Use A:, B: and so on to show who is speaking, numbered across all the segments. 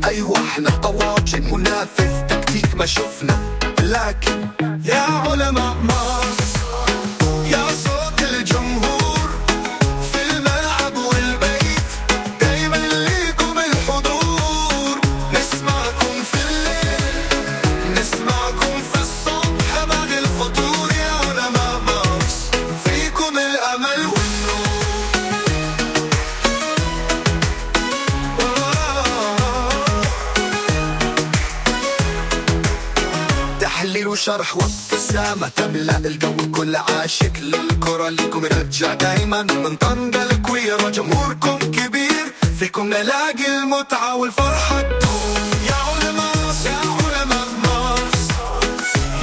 A: ايوه احنا طواجن، منافس تكتيك ما شفنا، لكن يا علماء مارس، يا صوت الجمهور في الملعب والبيت، دايما ليكم الحضور. نسمعكم في الليل، نسمعكم في الصبح بعد الفطور. يا علماء مارس، فيكم الأمل والنور. تحليل وشرح وابتسامة تملأ الجو، كل عاشق للكرة ليكم يرجع دايما. من طنجة الكويرة جمهوركم كبير، فيكم نلاقي المتعة والفرحة تدوم. يا علماء، يا علماء مارس،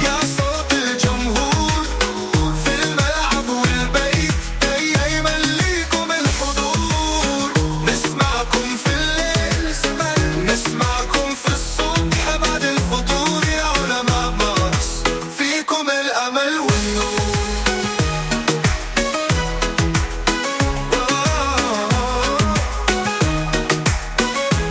A: يا صوت الجمهور في الملعب والبيت، دايما ليكم الحضور. نسمعكم في الليل، نسمعكم في الصبح بعد الفطور. يا علماء مارس، فيكم الأمل والنور.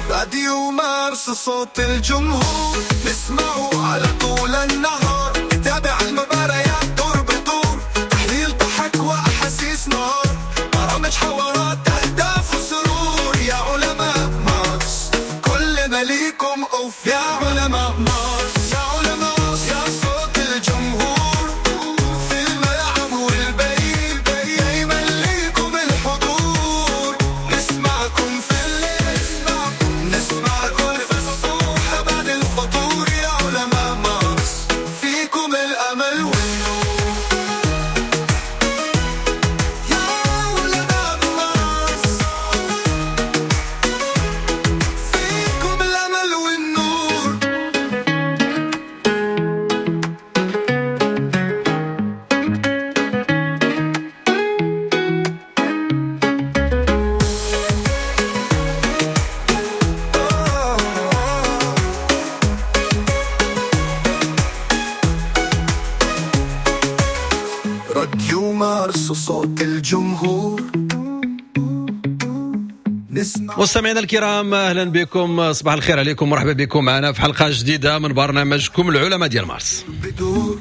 A: راديو مارس صوت الجمهور، نسمعه على طول النهار، نتابع المباريات دور بدور، تحليل ضحك وأحاسيس نار، برامج حوارات أهداف وسرور. يا علماء مارس، كلنا ليكم أوف. يا علماء مارس، يا علماء، يا صوت الجمهور في الملعب والبيت، دايما ليكم الحضور. نسمعكم في الليل، نسمعكم في الصبح بعد الفطور. يا علماء مارس، فيكم الأمل والنور. يا علماء مارس، فيكم الأمل والنور. راديو مارس صوت الجمهور، نسمع.
B: مستمعينا الكرام، اهلا بكم، صباح الخير عليكم، مرحبا بكم معنا في حلقة جديدة من برنامجكم العلماء ديال مارس.
A: بدور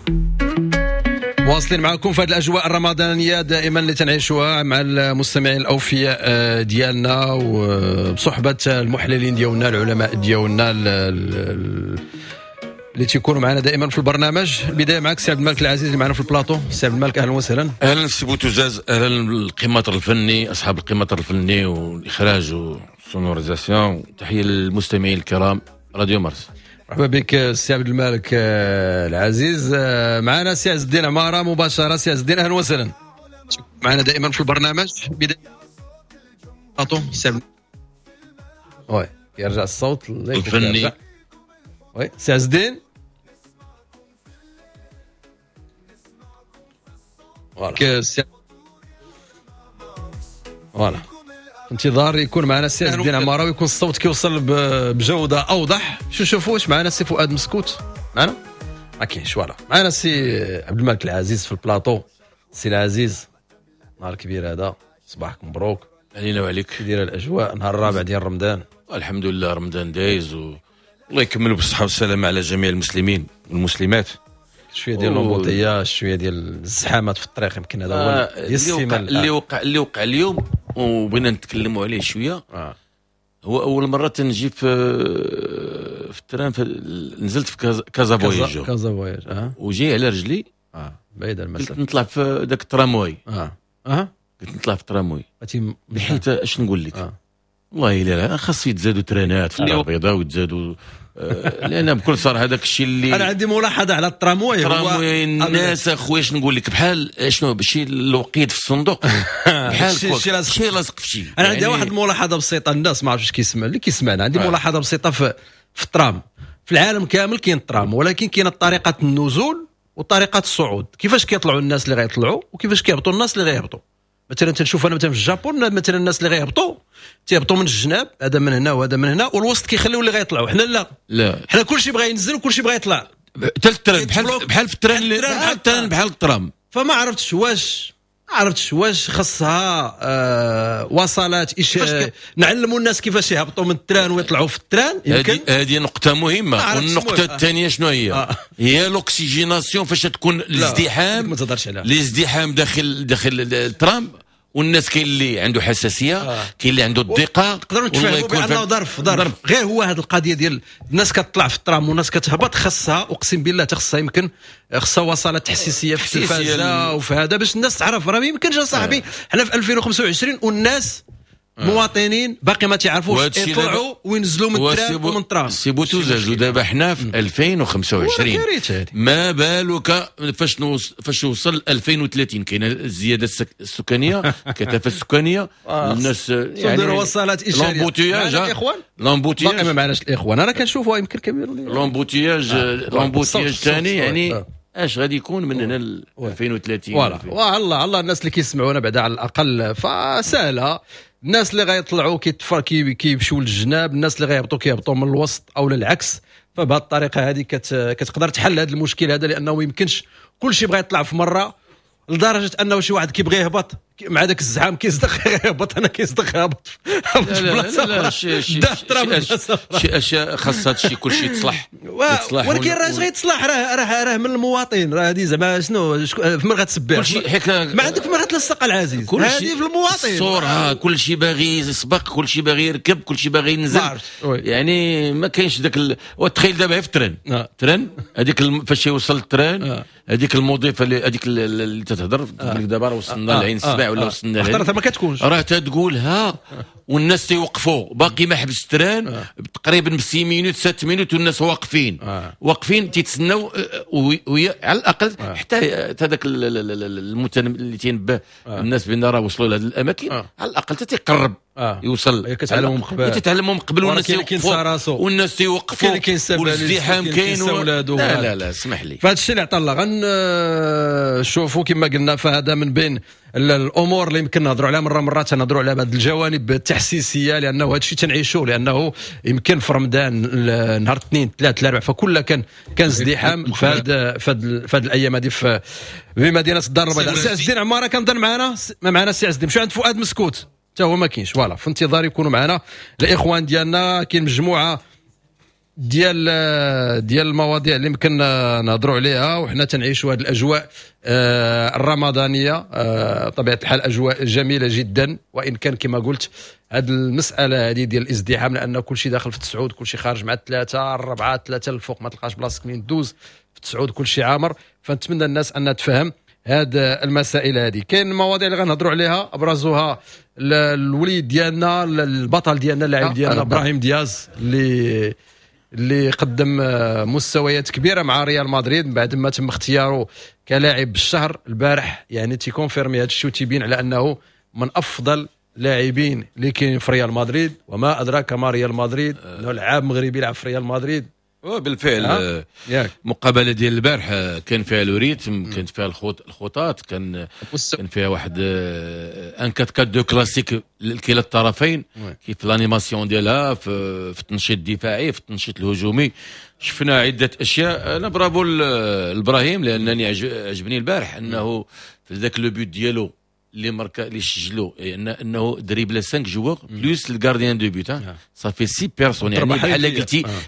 B: مواصلين معكم في هذه الاجواء الرمضانية دائما اللي تنعيشوها مع المستمعين الاوفياء ديالنا، وبصحبه المحللين ديالنا، العلماء ديالنا اللي تيكونوا معنا دائما في البرنامج. البداية معك سي عبد الملك العزيز اللي معنا في البلاطو. سي عبد الملك، اهلا وسهلا.
C: اهلا سي بوتوزاز، اهلا القماطر الفني، اصحاب القماطر الفني والاخراج وال sonorisation. تحية للمستمعين الكرام راديو مارس.
B: مرحبا بك سي عبد الملك العزيز. معنا سي عز الدين عمارة مباشرة. سي عز الدين، اهلا وسهلا، معنا دائما في البرنامج. بداية بلاطو سي عبد، oui يرجع الصوت الله يكون
C: الفني.
B: يرجع. oui سي عز الدين، voilà voilà انتظار يكون معنا السي عز الدين عمارة ويكون الصوت كيوصل بجوده اوضح. شو شوفوا واش معنا السي فؤاد مسكوت معنا؟ ما كاينش. voilà معنا السي عبد الملك العزيز في البلاطو. السي العزيز، نهار كبير هذا، صباحك مبروك.
C: علينا وعليك.
B: كي دايرة الاجواء نهار الرابع ديال رمضان؟
C: الحمد لله رمضان دايز و الله يكمل بالصحة والسلامة على جميع المسلمين والمسلمات.
B: شوية ديال l'embouteillage، شوية ديال الزحامات في الطريق، يمكن هذا هو
C: اللي وقع اللي وقع اليوم وبغينا نتكلموا عليه شوية. هو اول مرة تنجي في ال train، نزلت في كازا فواياج.
B: كازا فواياج
C: وجاي على رجلي.
B: بعيد المسافة.
C: قلت نطلع في ذاك الترامواي. قلت نطلع في الترامواي بحيث اش نقول لك، والله الا خاص يتزادوا ترانات في الدار البيضاء ويتزادوا لان بكل صراحة هذاك الشيء اللي
B: انا عندي ملاحظة على الترامواي.
C: الترامواي الناس اخويا اش نقول لك، بحال شنو شي الوقيد في الصندوق، بحال شي لاصق في شي.
B: انا عندي واحد الملاحظة بسيطة، الناس ما عرفتش كيسمع اللي كيسمعنا، عندي ملاحظة بسيطة في الترام. في العالم كامل كاين الترام، ولكن كاينه طريقه النزول وطريقه الصعود، كيفاش كيطلعوا الناس اللي غيطلعوا وكيفاش كيهبطوا الناس اللي غيهبطوا. مثلا تنشوف انا مثلا في الجابون، مثلا الناس اللي غيهبطوا تيهبطوا من الجناب، هذا من هنا وهذا من هنا، والوسط كيخليو اللي غيطلعوا. حنا لا، حنا كلشي بغى ينزل وكلشي بغى يطلع.
C: حتى ال train بحال في ال train، بحال ال train، بحال الترام.
B: فما عرفتش واش عرفتش واش خصها وصلات نعلموا الناس كيفاش يهبطوا من ال train ويطلعوا في ال train. يمكن
C: هذه نقطة مهمة. والنقطة الثانية شنو هي؟ هي l'oxygénation فاش تكون الازدحام، الازدحام داخل الترام، والناس كاين اللي عنده حساسية، كاين اللي عنده الضيقه.
B: نقدروا نتفاهموا بانه ظرف غير هو هذه القضية ديال الناس كتطلع في الترام والناس كتهبط، خصها اقسم بالله تخصها يمكن خصها وصلات تحسيسيه في التلفازه وفي هذا باش الناس تعرف. راه ما يمكنش اصاحبي حنا في 2025 والناس مواطنين باقي ما تعرفوش يطلعوا وينزلوا من ال train ومن الترام.
C: سي بوتوزاج ودابا حنا في 2025، ما بالك فاش وصل 2030 كاينه الزيادة السكانية، الكثافة السكانية، الناس
B: يعني وصلات اشاريه
C: l'embouteillage، l'embouteillage
B: باقي ما معناش الاخوان. انا كنشوفوا يمكن كبير
C: l'embouteillage ثاني، يعني اش غادي يكون من هنا ل 2030؟
B: voilà والله الله الناس اللي كيسمعونا بعدا على الاقل فسهله. الناس اللي غيطلعوا كيمشيو للجناب، الناس اللي غيهبطوا كيهبطوا من الوسط او للعكس. فبهذه الطريقة هذه كتقدر تحل هذا المشكل هذا، لانه ما يمكنش كل شيء بغى يطلع في مرة، لدرجة انه شي واحد كيبغي يهبط مع ذاك الزحام كيصدق يهبط، انا كيصدق هبط.
C: لا لا شي اشياء خاص هذا الشيء كل شيء يتصلح،
B: ولكن راه غيتصلح، راه من المواطن. راه هذه زعما شنو في من غتسبح ما عندك في من غتلصق العزيز، هذه في المواطن
C: الصورة. كل شيء باغي يسبق، كل شيء باغي يركب، كل شيء باغي ينزل، يعني ما كاينش ذاك. وتخيل دابا في ال train، train هذيك فاش يوصل ال train هذيك المضيفة اللي هذيك اللي تتهضر تقول لك دابا راه وصلنا لعين السبع ولا وصلنا
B: لعين، ما كتكونش
C: راه تتقولها والناس تيوقفوا، باقي ما حبس ال train تقريبا ب 6 minutes 7 minutes والناس واقفين واقفين تيتسناو، وهي على الاقل حتى هذاك اللي تينبه الناس بان راه وصلوا لهذه الاماكن على الاقل حتى تيقرب يوصل،
B: كتعلمهم قبل،
C: كتعلمهم قبل، والناس يوقفوا والناس تيوقفوا والازدحام كاين. لا لا لا اسمح لي،
B: فهذا الشيء اللي عطا الله غنشوفوا كما قلنا. فهذا من بين الامور اللي يمكن نهضروا عليها مرة مرات، تنهضروا على بعض الجوانب التحسيسيه، لانه هذا الشيء تنعيشوه، لانه يمكن في رمضان نهار الاثنين ثلاث الاربع فكل كان ازدحام في هاد الايام هذه في مدينة الدار البيضاء. سي عز الدين عمارة كنظن معنا، ما معنا سي عز الدين، مشيو عند فؤاد مسكوت حتى هو ما كاينش. voilà في انتظار يكونوا معنا الاخوان ديالنا. كاين مجموعة ديال المواضيع اللي يمكن نهضروا عليها وحنا تنعيشوا هذه الاجواء الرمضانية. بطبيعة الحال اجواء جميلة جدا، وان كان كما قلت هذه المسالة هذه ديال الازدحام، لان كل شيء داخل في التسعود، كل شيء خارج مع الثلاثة الربعه ثلاثة الفوق، ما تلقاش بلاصتك منين دوز في التسعود، كل شيء عامر. فنتمنى الناس انها تفهم هذه المسائل هذه. كاين المواضيع اللي غنهضروا عليها ابرزها الوليد ديالنا، البطل ديالنا، اللاعب ديالنا ابراهيم دياز اللي قدم مستويات كبيرة مع ريال مدريد بعد ما تم اختياره كلاعب الشهر البارح. يعني تي confirmer هذا الشيء وتيبين على انه من افضل لاعبين اللي كاين في ريال مدريد، وما ادراك ما ريال مدريد، انه لعاب مغربي يلعب في ريال مدريد.
C: بالفعل المقابلة ديال البارح كان فيها le rythme، كانت فيها الخطات، كان فيها واحد un 4-4-2 كلاسيك لكلا الطرفين، كيف l'animation ديالها في التنشيط الدفاعي، في التنشيط الهجومي، شفنا عده اشياء. انا برافو لابراهيم، لانني عجبني البارح انه في ذاك le but ديالو اللي ماركا اللي سجلو، انه dribla 5 joueurs plus ال gardien de but، ça fait 6 personnes، يعني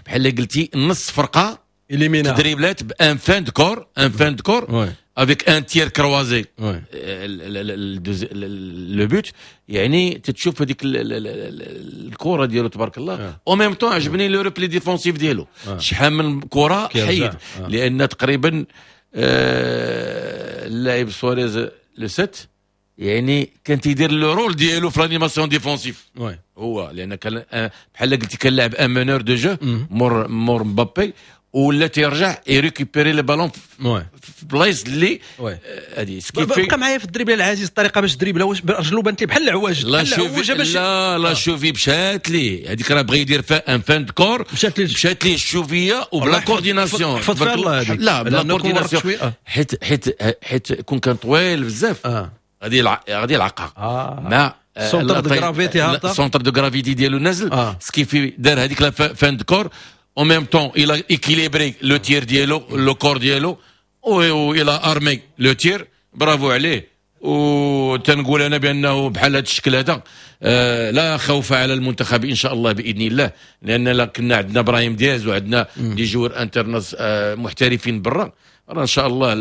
C: بحال قلتي نص فرقه دريبلات ب une feinte de corps، une feinte de corps avec un tir croisé le but. يعني تتشوف هذيك الكره ديالو تبارك الله. au même temps عجبني le repli défensif ديالو، شحال من كره حيد، لان تقريبا اللاعب سواريز le 7 يعني كان تيدير le rôle ديالو في l'animation défensive هو، لان كان بحال قلتي كان لاعب un meneur de jeu مور مبابي، ولا تيرجع ي récupérer les ballons في بلايص اللي هذه.
B: بقى معايا في ال dribble العزيز، الطريقة باش dribla واش رجلو بانت لي بحال العواج،
C: لا cheville لا cheville مشات لي هذيك، راه بغى يدير une feinte de corps، مشات لي ال cheville وبلا coordination، لا بلا coordination، حيت كون كان طويل بزاف غادي يلعقها مع
B: centre de gravité هابطة،
C: centre de gravité ديالو نازل، ce qui fait دار هذيك la feinte de corps، en même temps il a équilibré le tir ديالو، le corps ديالو، و il a armé le tir. برافو عليه. وتنقول انا بانه بحال هذا الشكل هذا لا خوف على المنتخب ان شاء الله باذن الله، لان لا كنا عندنا ابراهيم دياز وعندنا des joueurs internationaux محترفين برا، راه ان شاء الله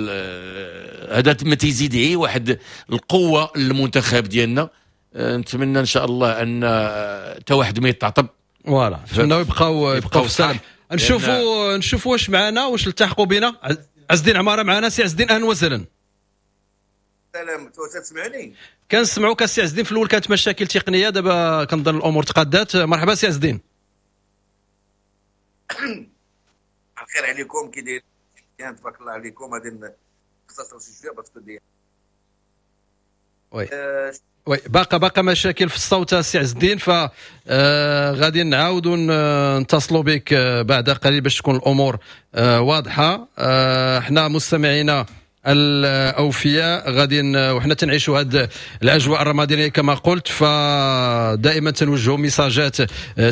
C: هذا ما تيزيد غير واحد القوة للمنتخب ديالنا. نتمنى ان شاء الله ان حتى واحد ما يتعطب،
B: voilà نتمناو يبقاو في السلام. نشوفوا واش معنا، واش التحقوا بنا عز الدين عمارة معنا. سي عز الدين اهلا وسهلا.
D: السلام، تسمعني؟
B: كنسمعوك السي عز الدين. في الاول كانت مشاكل تقنية، دابا كنظن الامور تقادات. مرحبا سي عز الدين.
D: الخير عليكم، كي داير؟ تبارك الله عليكم. غادي نختصر شي شوية parce que ديال
B: oui oui باقا مشاكل في الصوت السي عز الدين، ف غادي نعاودوا نتصلوا بك بعد قليل باش تكون الامور واضحة. احنا مستمعينا الاوفياء غادي وحنا تنعيشوا هذه الاجواء الرمضانية كما قلت، فدائما تنوجهوا ميساجات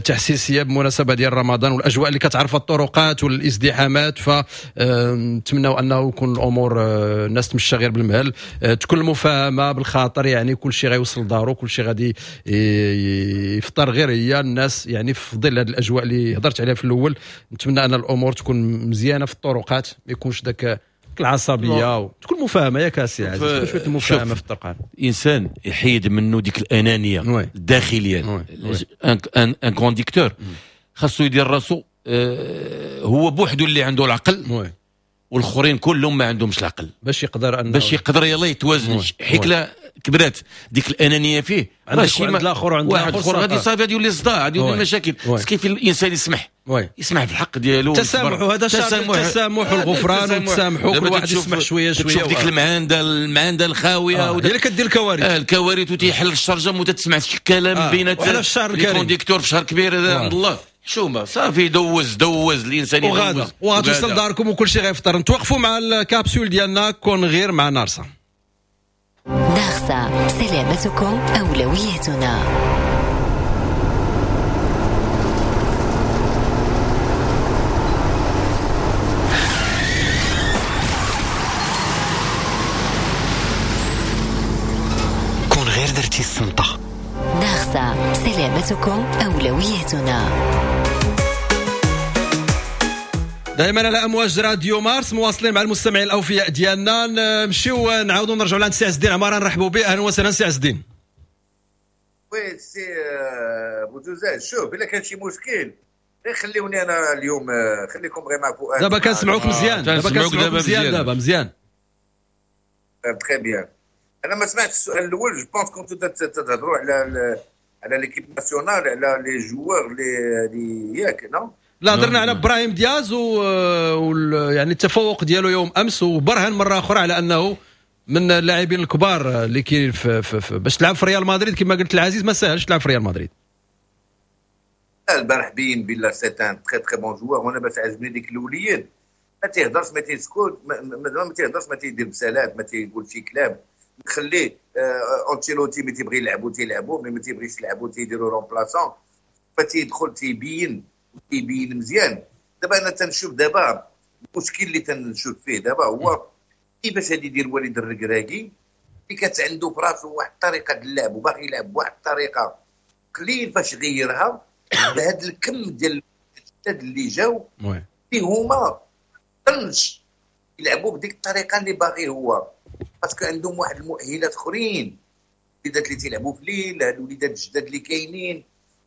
B: تحسيسيه بمناسبة ديال رمضان والاجواء اللي كتعرفها الطرقات والازدحامات، فنتمناو انه يكون الامور الناس تمشى غير بالمهل، تكون المفاهمه بالخاطر، يعني كل شيء غيوصل لدارو، كل شيء غادي يفطر غير هي الناس، يعني في ظل هذه الاجواء اللي هضرت عليها في الاول. نتمنى ان الامور تكون مزيانه في الطرقات، ما يكونش داك العصبية، وتكون مفاهمه. ياك اسي عزيز، تكون شوية المفاهمه في الطرقان،
C: الانسان يحيد منه ديك الانانية الداخلية. un conducteur خاصو يدير راسو هو بوحدو اللي عنده العقل، والاخرين كلهم ما عندهمش العقل، باش
B: يقدر
C: باش يقدر يلاه يتوازن. حيت لا كبرات ديك الانانية فيه،
B: راه شي الاخر وعند
C: واحد اخر غادي صافي غادي يولي صداع، غادي يولي مشاكل. كيف الانسان يسمح يسمح في الحق ديالو،
B: التسامح، وهذا التسامح والغفران والتسامح، كل واحد يسمح شوية شوية.
C: تشوف ديك المعاندة الخاويه
B: هي اللي كدير الكوارث،
C: الكوارث، وتيحل الشرجم وتتسمع الكلام بين ال conducteur في شهر كبير. هذا عند الله شوما صافي، دوز الانسان
B: يدوز وغتوصل داركم وكل شيء غيفطر. نتوقفوا مع الكابسول ديالنا كون غير مع نارسا.
E: نارسا، سلامتكم أولويتنا.
F: كون غير درتي الصمتة.
E: نارسا، سلامتكم أولويتنا.
B: دائما على امواج راديو مارس مواصلين مع المستمعين الاوفياء ديالنا. نمشيو نعاودوا نرجعوا لعند سي عز الدين عمارة، نرحبوا به. اهلا وسهلا سي عز الدين.
D: oui سي بوزوزات، شوف الا كان شي مشكل غير خليوني انا اليوم، خليكم غير مع فؤاد.
B: دابا كنسمعوك مزيان، دابا كنسمعوك مزيان، دابا مزيان
D: très bien. انا ما سمعتش السؤال الاول، je pense كنتو تهضروا على l'équipe nationale، على les joueurs les ياك non؟
B: لا، هضرنا على ابراهيم دياز يعني التفوق ديالو يوم امس، وبرهن مرة اخرى على انه من اللاعبين الكبار اللي كاين في باش تلعب في ريال مدريد. كما قلت العزيز ما ساهلش تلعب في ريال مدريد.
D: البارح بين بلا c'est un très très bon joueur، وانا باش عجبني ديك الاوليين ما تيهضرش، ما تيسكت، ما تيهضرش، ما تيدير بسالات، ما تيقول شي كلام. نخليه انشيلوتي ملي تيبغي يلعبو تيلعبو، ملي ما تيبغيش يلعبو تيديرو remplaçant، فتيدخل تيبين مزيان. دابا انا تنشوف دابا المشكل اللي تنشوف فيه دابا هو كيفاش غادي يدير وليد الركراكي اللي كانت عنده في راسو واحد الطريقة ديال اللعب وباغي يلعب بواحد الطريقة، قليل فاش غيرها بهذا الكم ديال الجداد اللي جاو اللي هما طنش يلعبوا بديك الطريقة اللي باغي هو، parce que عندهم واحد المؤهلات اخرين، الوليدات اللي تيلعبوا في الليل، هاد الوليدات الجداد اللي كاينين.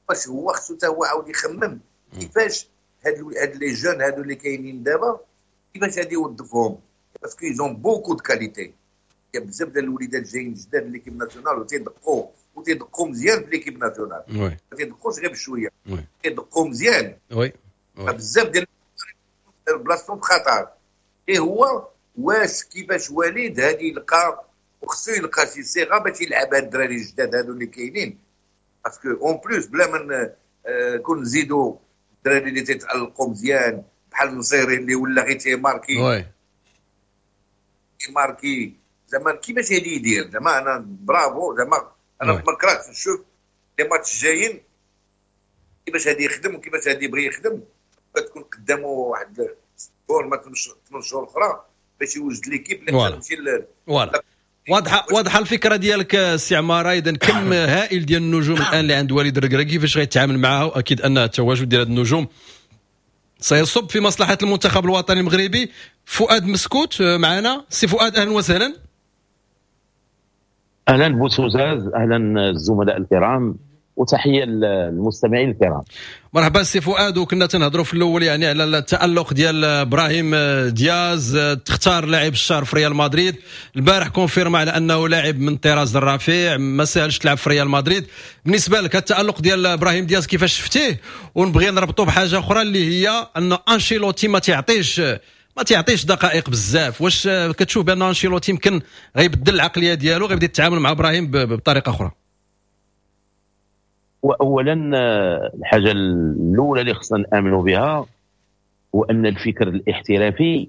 D: باش هو خصو حتى هو عاود يخمم كيفاش هاد les jeunes هادو اللي كاينين دابا كيفاش غادي يوظفهم، parce que ils ont beaucoup de qualités. كاين بزاف ديال الوليدات جايين جداد l'équipe nationale وتيدقوا مزيان في l'équipe nationale، ما تيدقوش غير بشوية، تيدقوا مزيان.
B: oui
D: بزاف ديال بلاصتهم في خطر. اي هو واش كيفاش وليد هادي يلقى، وخصو يلقى شي صيغة باش يلعب هاد الدراري الجداد هادو اللي كاينين، parce que en plus بلا ما كون نزيدو الدراري اللي تيتالقوا مزيان بحال النصيري اللي ولا غير تيماركي تيماركي زعما كيفاش هادي يدير. زعما انا برافو، زعما انا ما كرهتش نشوف les matchs الجايين كيفاش هادي يخدم وكيفاش هادي يبغي يخدم. تكون قدامه واحد 6 ما 8 شهور اخرى باش يوجد l'équipe اللي تمشي
B: voilà. واضحة الفكرة ديالك سي عمارة. اذا كم هائل ديال النجوم الان اللي عند وليد الركراكي، كيفاش غيتعامل معها؟ واكيد ان التواجد ديال هاد النجوم سيصب في مصلحة المنتخب الوطني المغربي. فؤاد مسكوت معنا، سي فؤاد اهلا وسهلا.
G: اهلا بوتوزاز، اهلا الزملاء الكرام، وتحية للمستمعين الكرام.
B: مرحبا سي فؤاد. وكنا تنهضروا في الاول يعني على التالق ديال ابراهيم دياز، تختار لاعب الشهر في ريال مدريد البارح، confirma على انه لاعب من طراز الرفيع، ما ساهلش تلعب في ريال مدريد. بالنسبة لك التالق ديال ابراهيم دياز كيفاش شفتيه؟ ونبغي نربطه بحاجة اخرى اللي هي ان انشيلوتي ما تيعطيش دقائق بزاف. واش كتشوف بان انشيلوتي يمكن غيبدل العقلية ديالو، غيبدا يتعامل مع ابراهيم بطريقة اخرى؟
G: واولا الحاجة الاولى اللي خصنا نامنوا بها هو ان الفكر الاحترافي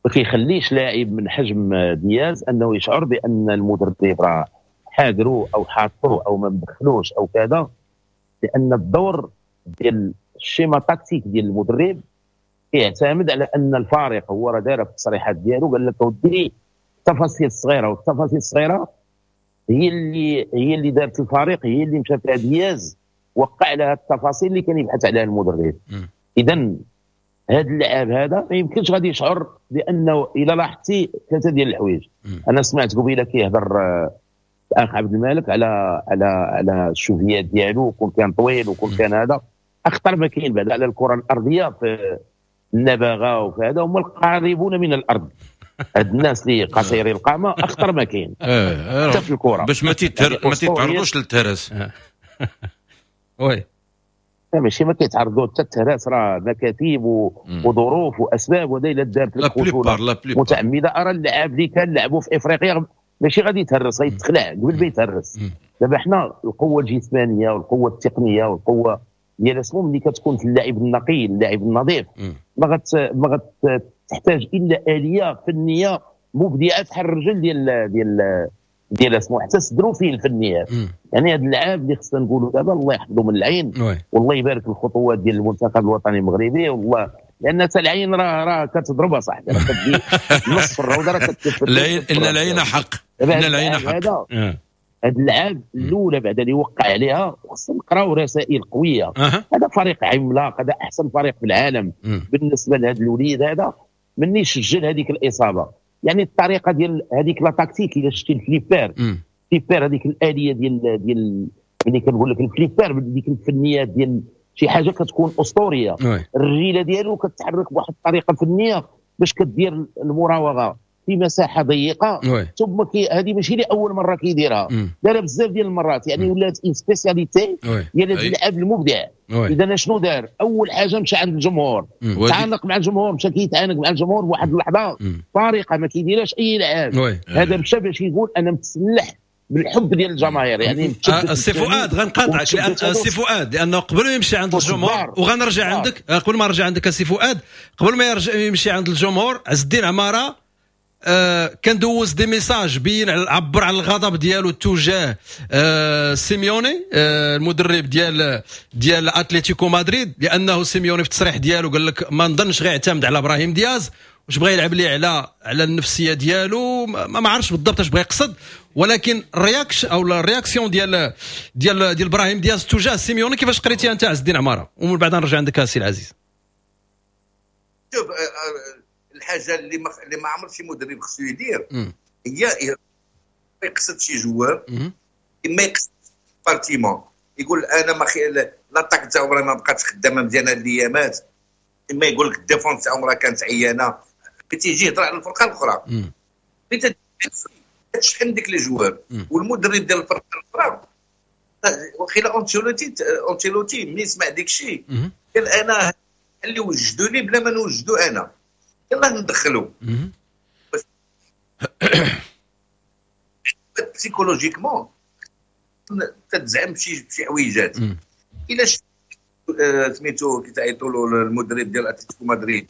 G: ما كيخليش لاعب من حجم دياز انه يشعر بان المدرب راه حاقرو او حاطو او ما مدخلوش او كذا، لان الدور ديال ال schéma tactique ديال المدرب يعتمد على ان الفارق، هو راه دار في التصريحات ديالو، قال لك اودي التفاصيل الصغيره، والتفاصيل الصغيرة هي اللي دارت الفريق، هي اللي مشى فيها دياز، وقع على التفاصيل اللي كان يبحث عليها المدرب. اذا هذا اللاعب هذا ما يمكنش غادي يشعر بانه، الا لاحظتي ثلاثة ديال الحوايج، انا سمعت قبيلة كيهضر الاخ عبد الملك على الشوفيات ديالو، كون كان طويل وكون كان هذا، اخطر ما كاين بعد على الكره الارضية في النبغه وفي هذا هما القريبون من الارض. هاد الناس اللي قصيري القامة اخطر ما كاين حتى في الكره.
C: باش ما تيتعرضوش للتهرس.
B: oui.
G: ماشي ما كيتعرضوا حتى التهراس، راه مكاتيب وظروف واسباب، وهذا الا دارت لك خشونة متعمده. ارى اللاعب اللي كان لعبوا في افريقيا ماشي غادي يتهرس، غيتخلع قبل ما يتهرس. دابا حنا القوة الجسمانية والقوه التقنية والقوه ديال اسمو ملي كتكون في اللاعب النقي، اللاعب النظيف، ما غتحتاج الا اليه فنية مبدعة بحال الرجل ديال اسمو، حتى صدروا فيه الفنيات. يعني هذا اللاعب اللي خصنا نقولوا دابا الله يحفظه من العين والله يبارك الخطوات ديال المنتخب الوطني المغربي، والله لان حتى العين راه كتضربها صاحبي، راه كتجي نص الروضة راه كتكفل.
C: العين، ان العين حق، ان العين حق.
G: هذا اللاعب الاولى بعد اللي وقع عليها، خصنا نقراو رسائل قويه. هذا فريق عملاق، هذا احسن فريق في العالم. بالنسبة لهذا الوليد هذا مني سجل هذيك الاصابه، يعني الطريقة ديال هذيك la tactique، اذا شتي ال flipper flipper، هذيك الالية ديال ملي كنقول لك ال flipper، ديك الفنيات ديال شي حاجة كتكون اسطوريه. الرجيله ديالو كتحرك بواحد الطريقة فنية باش كدير المراوغه في مساحة ضيقه. ثم هذه ماشي لاول مرة كيديرها، دارها بزاف ديال المرات، يعني ولات une spécialité ديال هذا اللاعب المبدع. اذا شنو دار؟ اول حاجة مشى عند الجمهور، تعانق مع الجمهور، مشى كيتعانق مع الجمهور بواحد اللحظة طريقه ما كيديرهاش اي لاعب. هذا مشى باش يقول انا متسلح بالحب ديال الجماهير، يعني
B: السي فؤاد غنقاطعك، لان السي فؤاد لانه قبل ما يمشي عند الجمهور وغنرجع عندك، قبل ما نرجع عندك السي فؤاد، قبل ما يرجع يمشي عند الجمهور، عز الدين عمارة كان دوز des messages، بين عبر على الغضب ديالو تجاه سيميوني المدرب ديال اتلتيكو مدريد، لانه سيميوني في التصريح ديالو قال لك ما نظنش غيعتمد على ابراهيم دياز، واش بغى يلعب ليه على النفسية ديالو، ما عرفتش بالضبط اش بغى يقصد، ولكن ال réaction او ال réaction ديال ابراهيم دياز تجاه سيميوني كيفاش قريتيها انت عز الدين عماره؟ ومن بعد نرجع عندك سي العزيز.
D: شوف، الحاجة اللي ما عمر شي مدرب خصو يدير هي يقصد شي joueur، اما يقصد département، يقول انا ما l'attaque تاعو راه ما بقاتش خدامه مزيانه الايامات، اما يقول لك ال défense تاعهم راه كانت عيانه، تيجي يهضر على الفرقة الاخرى، تشحن ديك les joueurs والمدرب ديال الفرقة الاخرى. وخيلا انشيلوتي ملي سمع ديك الشيء قال انا اللي وجدوني بلا ما نوجدو انا، يلاه ندخلو. psychologiquement تتزعم شي حويجات. الا سميتو كيتعيطوا له المدرب ديال اتلتيكو مدريد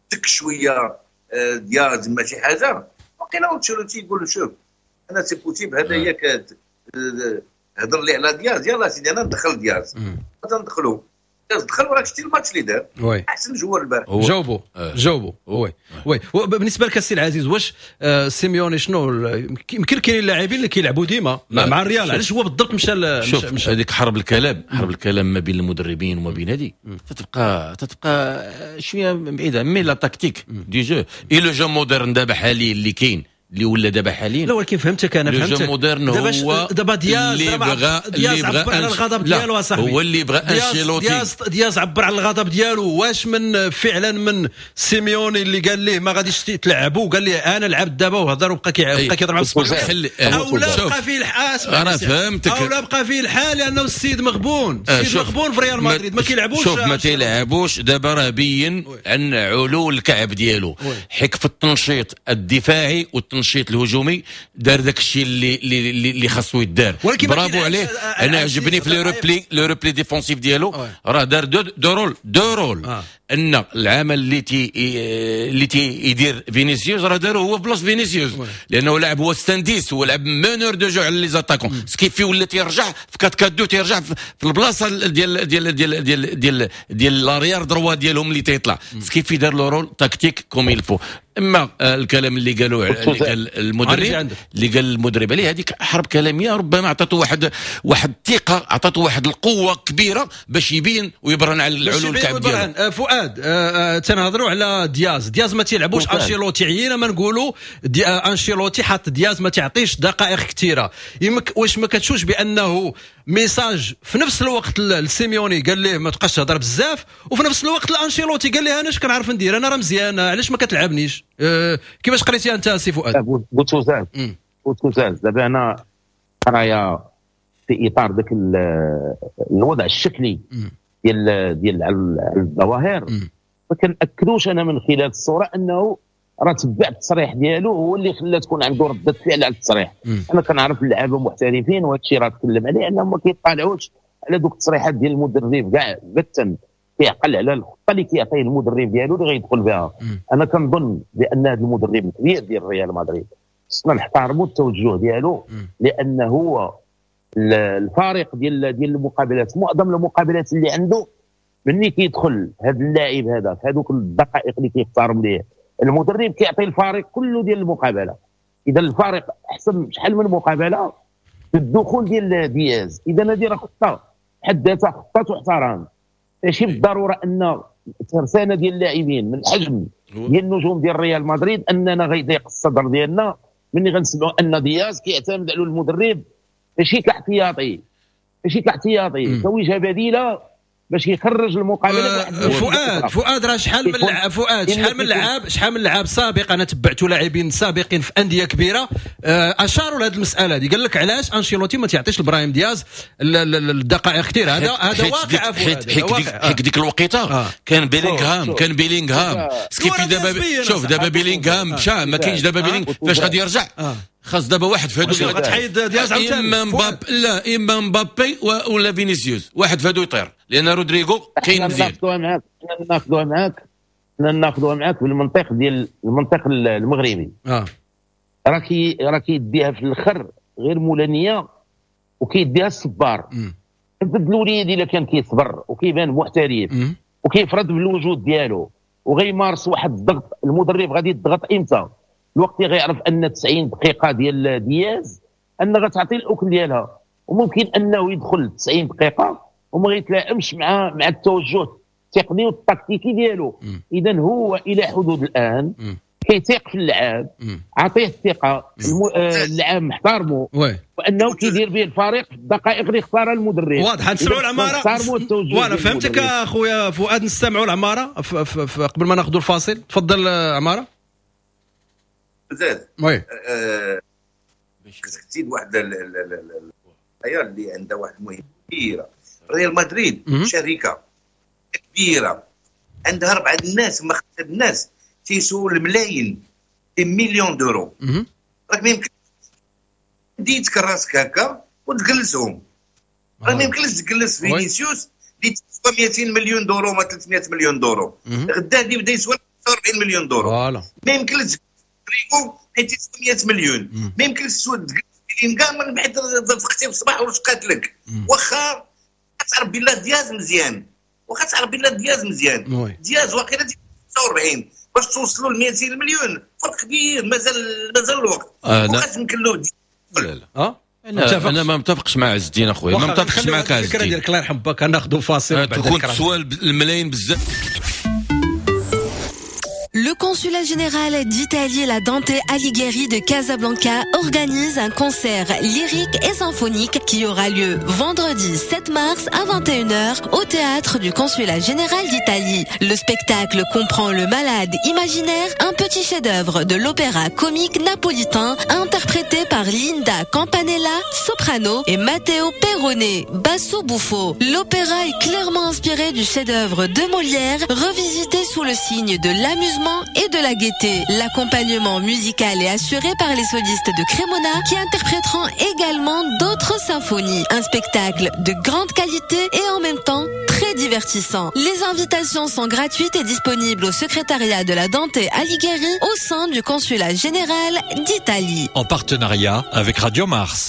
D: تك شوية دياز ما شي حاجه، وقيلا انشيلوتي يقول له شوف انا c'est possible هذا هي هضر لي على دياز، يلا سيدي انا ندخل دياز، ندخلو. دخل وراك شتي الماتش اللي دار، احسن joueur البارح.
B: جاوبوا جاوبوا. oui oui، بالنسبة لك السي العزيز، واش سيميوني شنو يمكن كاينين اللاعبين اللي كيلعبوا ديما مع الريال، علاش هو بالضبط مشى؟
C: شوف، هذيك حرب الكلام، حرب الكلام ما بين المدربين وما بين هذه تتبقى شوية بعيده، mais la tactique du jeu et le jeu moderne دابا حاليا اللي كاين، اللي ولا دابا حاليا.
B: لا ولكن فهمتك، انا فهمتك.
C: moderne هو
B: دابا دياز
C: اللي بغى
B: دياز عبر على الغضب ديالو اصاحبي.
C: هو اللي بغى انشيلوتي.
B: دياز عبر على الغضب ديالو، واش من فعلا من سيميوني اللي قال ليه ما غاديش تلعبوا، قال ليه انا لعبت دابا وهضر وبقى كيهضر مع السبور، او لا بقى فيه الحال؟
C: انا فهمتك.
B: او لا بقى فيه الحال لانه السيد مغبون، السيد مغبون في ريال مدريد، ما كيلعبوش.
C: شوف، ما تيلعبوش دابا، راه بين عن علو الكعب ديالو، حيك في التنشيط الدفاعي والتنشيط الهجومي دار داك الشيء اللي خاصو يدار، برافو عليه. انا عجبني في le repli défensif ديالو، راه دار deux rôles، deux rôles. ان العمل اللي تي يدير فينيسيوس راه دارو هو في بلاصة فينيسيوس، لانه لعب هو ستانديس، هو لعب meneur de jeu على les attaquants، ce qui fait ولا تيرجع في 4 4 2، تيرجع في البلاصة ديال l'arrière droit ديالهم اللي تيطلع، ce qui fait دار le rôle tactique comme il faut. اما الكلام اللي قالوا، اللي قال المدرب، اللي قال المدرب عليه، هذيك حرب كلاميه، ربما عطاته واحد الثقه، عطاته واحد القوة كبيرة باش يبين ويبرهن على العلو الكعب ديالو.
B: فؤاد، تنهضروا على دياز، دياز ما تيلعبوش انشيلوتي، عيينا ما نقولوا دي انشيلوتي حط دياز ما تعطيش دقائق كثيره. واش ما كتشوفش بانه message في نفس الوقت لسيميوني قال ليه ما تبقاش تهضر بزاف، وفي نفس الوقت لانشيلوتي قال ليه انا اش كنعرف ندير، انا راه مزيان، علاش ما كتلعبنيش؟ كيفاش قريتي انت سي فؤاد؟
G: بوتوزاز بوتوزاز، دابا انا قرايه في اطار ذاك الوضع الشكلي ديال الظواهر، ما كناكدوش انا من خلال الصورة انه راه تبع التصريح ديالو هو اللي خلى تكون عنده رده فعل على التصريح. انا كنعرف اللعابه محترفين، وهذا الشيء راه تكلم عليه، انهم ما كيطالعوش على دوك التصريحات ديال المدرب كاع بتا، كيعقل على الخطة اللي كيعطيه المدرب ديالو اللي غيدخل بها. انا كنظن بان هذا المدرب الكبير ديال ريال مدريد خصنا نحترموا التوجه ديالو، لانه هو الفارق ديال المقابلات، معظم المقابلات اللي عنده ملي كيدخل هذا اللاعب هذا في هذوك الدقائق اللي كيختارهم ليه المدرب كيعطي الفريق كله ديال المقابله. اذا الفريق احسن شحال من مقابله في الدخول ديال دياز. اذا هذه راه خطه حد ذاتها، خطه تحترم، ماشي بالضرورة ان ترسانه ديال اللاعبين من حجم ديال النجوم ديال ريال مدريد اننا غيضيق الصدر ديالنا ملي غنسمعوا ان دياز كيعتمد على المدرب ماشي كاحتياطي كوجهه بديله باش يخرج المقابله.
B: فؤاد، فؤاد، راه شحال من لعاب، فؤاد، شحال من لعاب سابق، انا تبعت لاعبين سابقين في اندية كبيرة اشاروا لهذه المسالة هذه، قال لك علاش انشيلوتي ما تعطيش لابراهيم دياز الدقائق كثير؟ هذا واقع.
C: حيت ديك الوقيته كان بيلينغهام، كان بيلينغهام، ce qui fait دابا شوف دابا بيلينغهام مشى، ما كاينش دابا بيلينغ، فاش غادي يرجع خاص دابا واحد في هادو.
B: غتحيد دياز عاوتاني؟
C: اما مبابي، لا، اما مبابي ولا فينيسيوس، واحد في هادو يطير، لان رودريغو كاين مزيان.
G: ناخذوها معاك، ناخذوها معاك، ناخذوها معاك بالمنطق ديال المنطق المغربي. راه كيديها في الاخر غير مولانيه وكيديها الصبار. ضد الوليد الا كان كيصبر وكيبان محترف وكيفرض بالوجود ديالو وغيمارس واحد الضغط، المدرب غادي يضغط امتى؟ الوقت اللي غيعرف ان 90 دقيقة ديال دياز ان غتعطي الاكل ديالها، وممكن انه يدخل 90 دقيقة وما غيتلائمش مع التوجه التقني والتكتيكي ديالو. اذا هو الى حدود الان كيثيق في اللعاب، عطية الثقه، اللعاب محترمه وانه كيدير به الفريق في الدقائق اللي اختارها المدرب.
B: واضح، نسمعوا العماره. وانا فهمتك اخويا فؤاد، نستمعوا العمارة قبل ما ناخذوا الفاصل. تفضل عماره.
D: زاد
B: oui.
D: خصك تزيد واحد اللي عندها واحد المهمة كبيره. ريال مدريد شركة كبيرة عندها اربعة الناس ما خمسة الناس تيسوا الملايين، des millions d'euros. راك ما يمكن ديتك راسك هكا وتجلسهم، راه ما يمكنش تجلس فينيسيوس اللي تسوى 200 مليون d'euros ما 300 مليون d'euros، غدا اللي بدا يسوى 45 مليون d'euros. ما يمكنش رودريغو حيت يسوى 100 مليون. ما يمكنش تجلس بيلينغهام من بعد فقتي في الصباح ورشقات لك، واخا تعرف بالله دياز مزيان. واخا تعرف بان دياز مزيان، دياز واقيلا 46 باش توصلوا ل 200 مليون فرق كبير، مازال الوقت. واخا يمكن له.
C: لا لا انا ما متفقش مع عز الدين اخويا، ما متفقش معك عز الدين.
B: الفكرة ديالك الله يرحم باك، ناخذوا فاصل
C: بعد تكون تسوى الملايين بزاف.
H: Le consulat général d'Italie, la Dante Alighieri de Casablanca, organise un concert lyrique et symphonique qui aura lieu vendredi 7 mars à 21h au théâtre du consulat général d'Italie. Le spectacle comprend Le Malade imaginaire, un petit chef-d'œuvre de l'opéra comique napolitain interprété par Linda Campanella, soprano, et Matteo Perrone, basso buffo. L'opéra est clairement inspiré du chef-d'œuvre de Molière, revisité sous le signe de l'amusement et de la gaieté. L'accompagnement musical est assuré par les solistes de Cremona qui interpréteront également d'autres symphonies. Un spectacle de grande qualité et en même temps très divertissant. Les invitations sont gratuites et disponibles au secrétariat de la Dante Alighieri au sein du consulat général d'Italie.
I: En partenariat avec Radio Mars.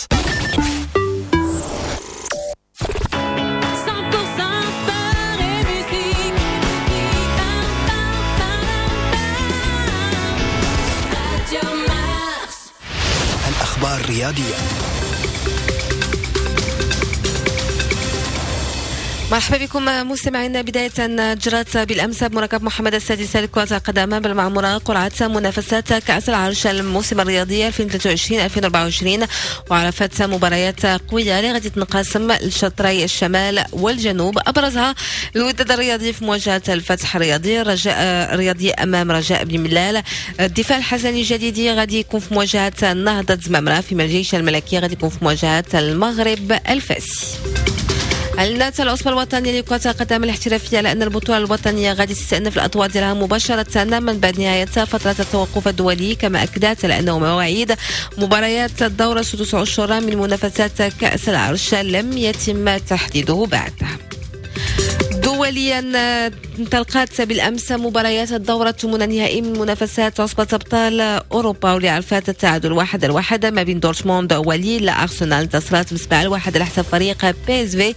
F: الأخبار الرياضية.
H: مرحبا بكم مستمعينا. بداية جرت بالأمس بمركب محمد السادس لكرة القدم بالمعمورة قرعة منافسات كأس العرش الموسم الرياضي 2023-2024، وعرفت مباريات قوية اللي غادي تنقسم لشطري الشمال والجنوب، أبرزها الوداد الرياضي في مواجهة الفتح الرياضي، الرجاء الرياضي أمام رجاء بن ملال، الدفاع الحسني الجديدي غادي يكون في مواجهة نهضة زمامرة، فيما الجيش الملكي غادي يكون في مواجهة المغرب الفاسي. أعلنت العصبة الوطنية لكرة القدم الاحترافية على أن البطولة الوطنية غادي تستأنف الأطوار ديالها مباشرة من بعد نهاية فترة التوقف الدولي، كما أكدت على أنه مواعيد مباريات الدورة 16 من منافسات كأس العرش لم يتم تحديده بعد. دوليا انطلقت بالامس مباريات الدورة الثمن النهائي من منافسات عصبه ابطال اوروبا، واللي عرفت التعادل 1-1 ما بين دورتموند وليل. ارسنال انتصرت ب7-1 على حساب فريق PSV.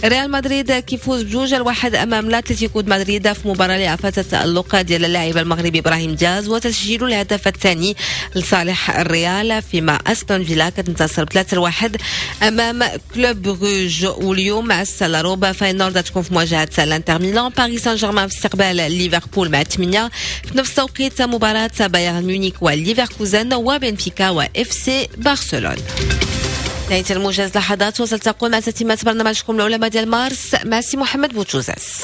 H: ريال مدريد كيفوز ب2-1 امام الاتليتيكو مدريد في مباراة اللي عرفت التالق ديال اللاعب المغربي ابراهيم دياز وتسجيل الهدف الثاني لصالح الريال، فيما استون فيلا كتنتصر ب3-1 امام كلوب بروج. واليوم مع السلاروبا فاينورد تكون في مواجهة الانتر ميلان، باريس سان جيرمان في استقبال ليفربول مع 8 في نفس توقيت مباراة بايرن ميونخ وليفركوزن وبنفيكا و FC برشلونة. نهاية الموجز لحظات وستلتقون مع تتمة برنامجكم العلماء ديال مارس مع سي محمد بوتوزاس.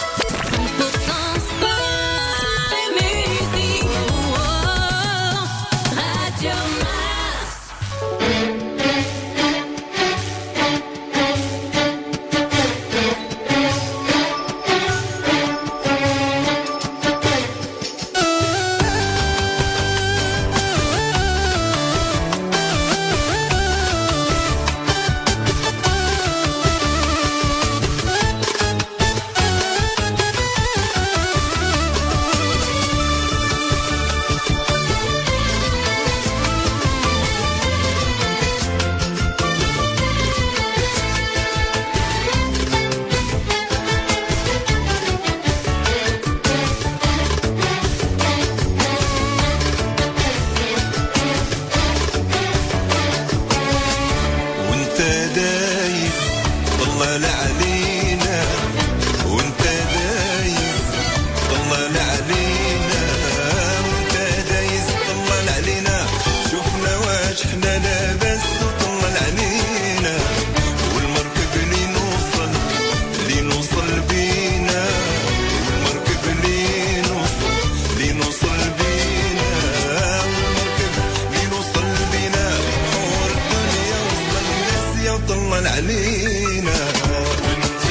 A: علينا. وانت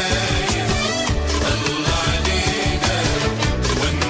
A: دايس طلع علينا، وانت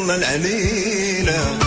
A: طلل علينا.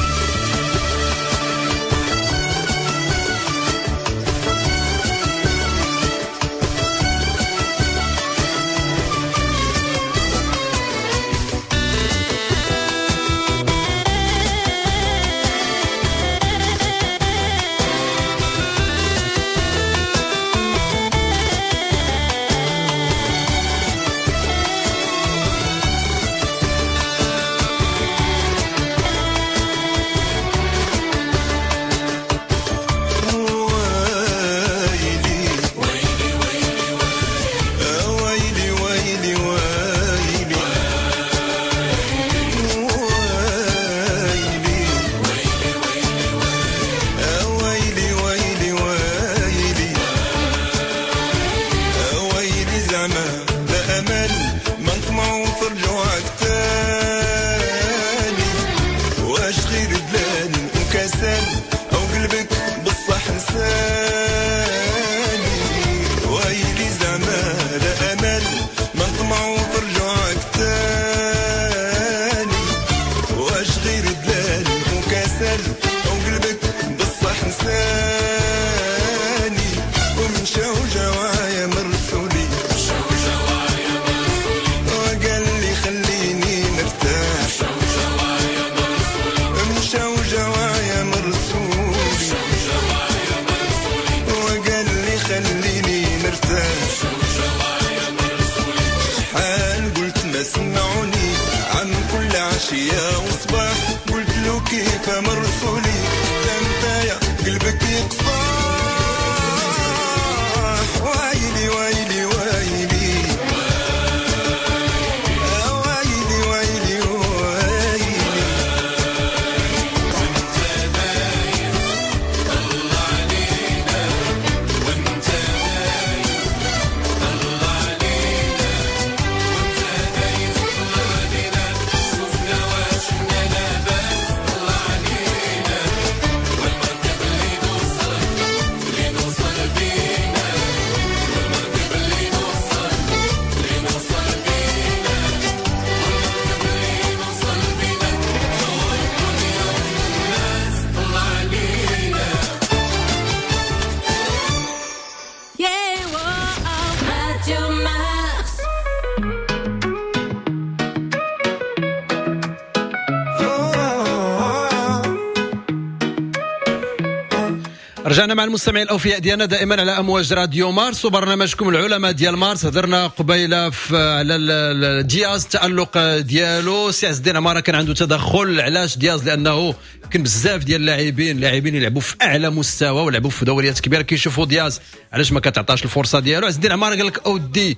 B: رجعنا مع المستمعين الاوفياء ديالنا دائما على امواج راديو مارس وبرنامجكم العلماء ديال مارس. هضرنا قبيلة على دياز، التالق ديالو. سي عز الدين عمارة كان عنده تدخل. علاش دياز؟ لانه كان بزاف ديال اللاعبين يلعبوا في اعلى مستوى ولعبوا في دوريات كبيرة، كيشوفوا دياز علاش ما كتعطاش الفرصة ديالو. عز الدين عمارة قال لك اودي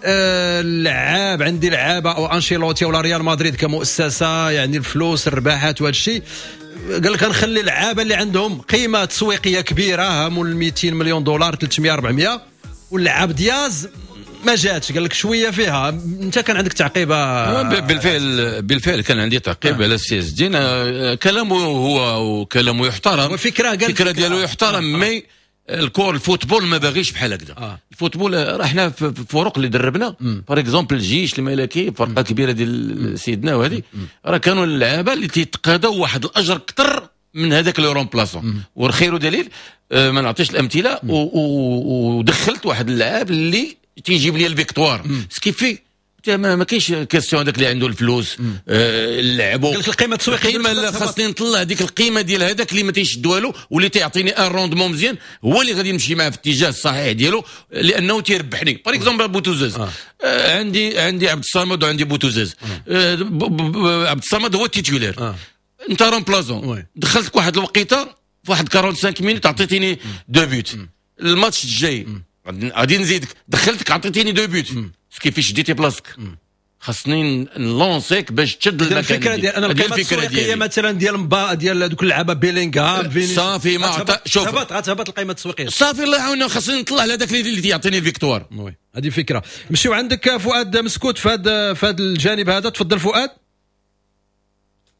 B: اللعاب عندي لعابه او انشيلوتي ولا ريال مدريد كمؤسسة، يعني الفلوس الرباحات وهذا الشيء، قال لك غنخلي اللعابه اللي عندهم قيمة تسويقية كبيرة هامول 200 مليون دولار 300 400، واللعاب دياز ما جاتش، قال لك شوية فيها. انت كان عندك تعقيب؟
C: بالفعل كان عندي تعقيب على السي عز الدين. كلامه هو وكلامه يحترم، الفكرة ديالو يحترم، mais الكور ال football ما باغيش بحال هكذا. ال football راه حنا في الفرق اللي دربنا par exemple الجيش الملكي، فرقه كبيرة ديال سيدنا وهذه، راه كانوا اللعابه اللي تيتقاضوا واحد الاجر اكثر من هذاك le remplaçant. والخير دليل، ما نعطيش الامثلة، ودخلت واحد اللاعب اللي تيجيب لي ال victoire ce qui fait ما كاينش question هذاك اللي عنده الفلوس لعبوا
B: القيمة التسويقية،
C: القيمة اللي خاصني نطلع ديك القيمة ديال هذاك اللي ما تيشد والو واللي تيعطيني un rendement مزيان، هو اللي غادي نمشي معاه في الاتجاه الصحيح ديالو لانه تيربحني. par exemple بوتوزاز، عندي عبد الصمد وعندي بوتوزاز. عبد الصمد هو ال titulaire، انت remplaçant، دخلتك واحد الوقيته في واحد 45 minutes عطيتيني deux buts، الماتش الجاي غادي نزيدك، دخلتك عطيتيني deux buts، كيفاش شديتي بلاصتك؟ خاصني نلونسيك باش تشد المكان.
B: الفكرة ديال انا القيمة التسويقية مثلا ديال ديال دوك اللعابه بيلينغهام فينيسيوس،
C: صافي ما عطا شوف
B: غتهبط القيمة التسويقية،
C: صافي الله يعاوننا، خاصني نطلع على داك اللي يعطيني ال victoire.
B: oui هذه فكرة. نمشيو عندك فؤاد مسكوت في هذا الجانب هذا، تفضل فؤاد.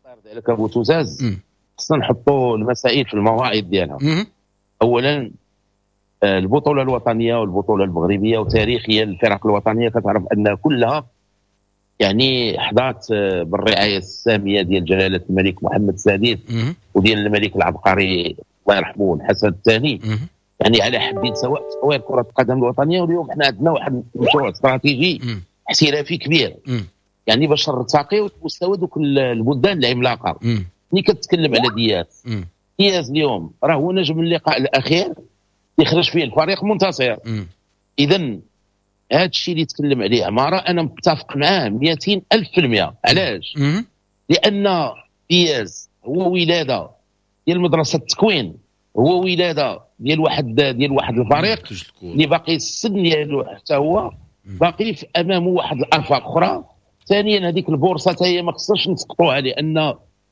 G: الله يرضي عليك ابو توزاز، خصنا نحطوا المسائل في المواعيد ديالها. اولا البطولة الوطنية والبطوله المغربية وتاريخيا الفرق الوطنية كتعرف ان كلها يعني حظات بالرعايه السامية ديال جلاله الملك محمد السادس وديال الملك العبقري الله يرحمه الحسن الثاني، يعني على حد سواء تطوير كره القدم الوطنية. واليوم حنا عندنا واحد المشروع استراتيجي احترافي كبير، يعني باش نرتقيو لمستوى دوك البلدان العملاقة. ملي كتكلم على دياز، دياز اليوم راه هو نجم اللقاء الاخير اللي خرج فيه الفريق منتصر. اذا هذا الشيء اللي تكلم عليه عمارة انا متفق معاه 200,000%. علاش؟ لان دياز هو ولاده ديال مدرسه التكوين، هو ولاده ديال واحد الفريق اللي باقي السن ديالو حتى هو باقي في امامه واحد الافاق اخرى. ثانيا هذيك البورصة حتى هي ما خصناش نسقطوها، لان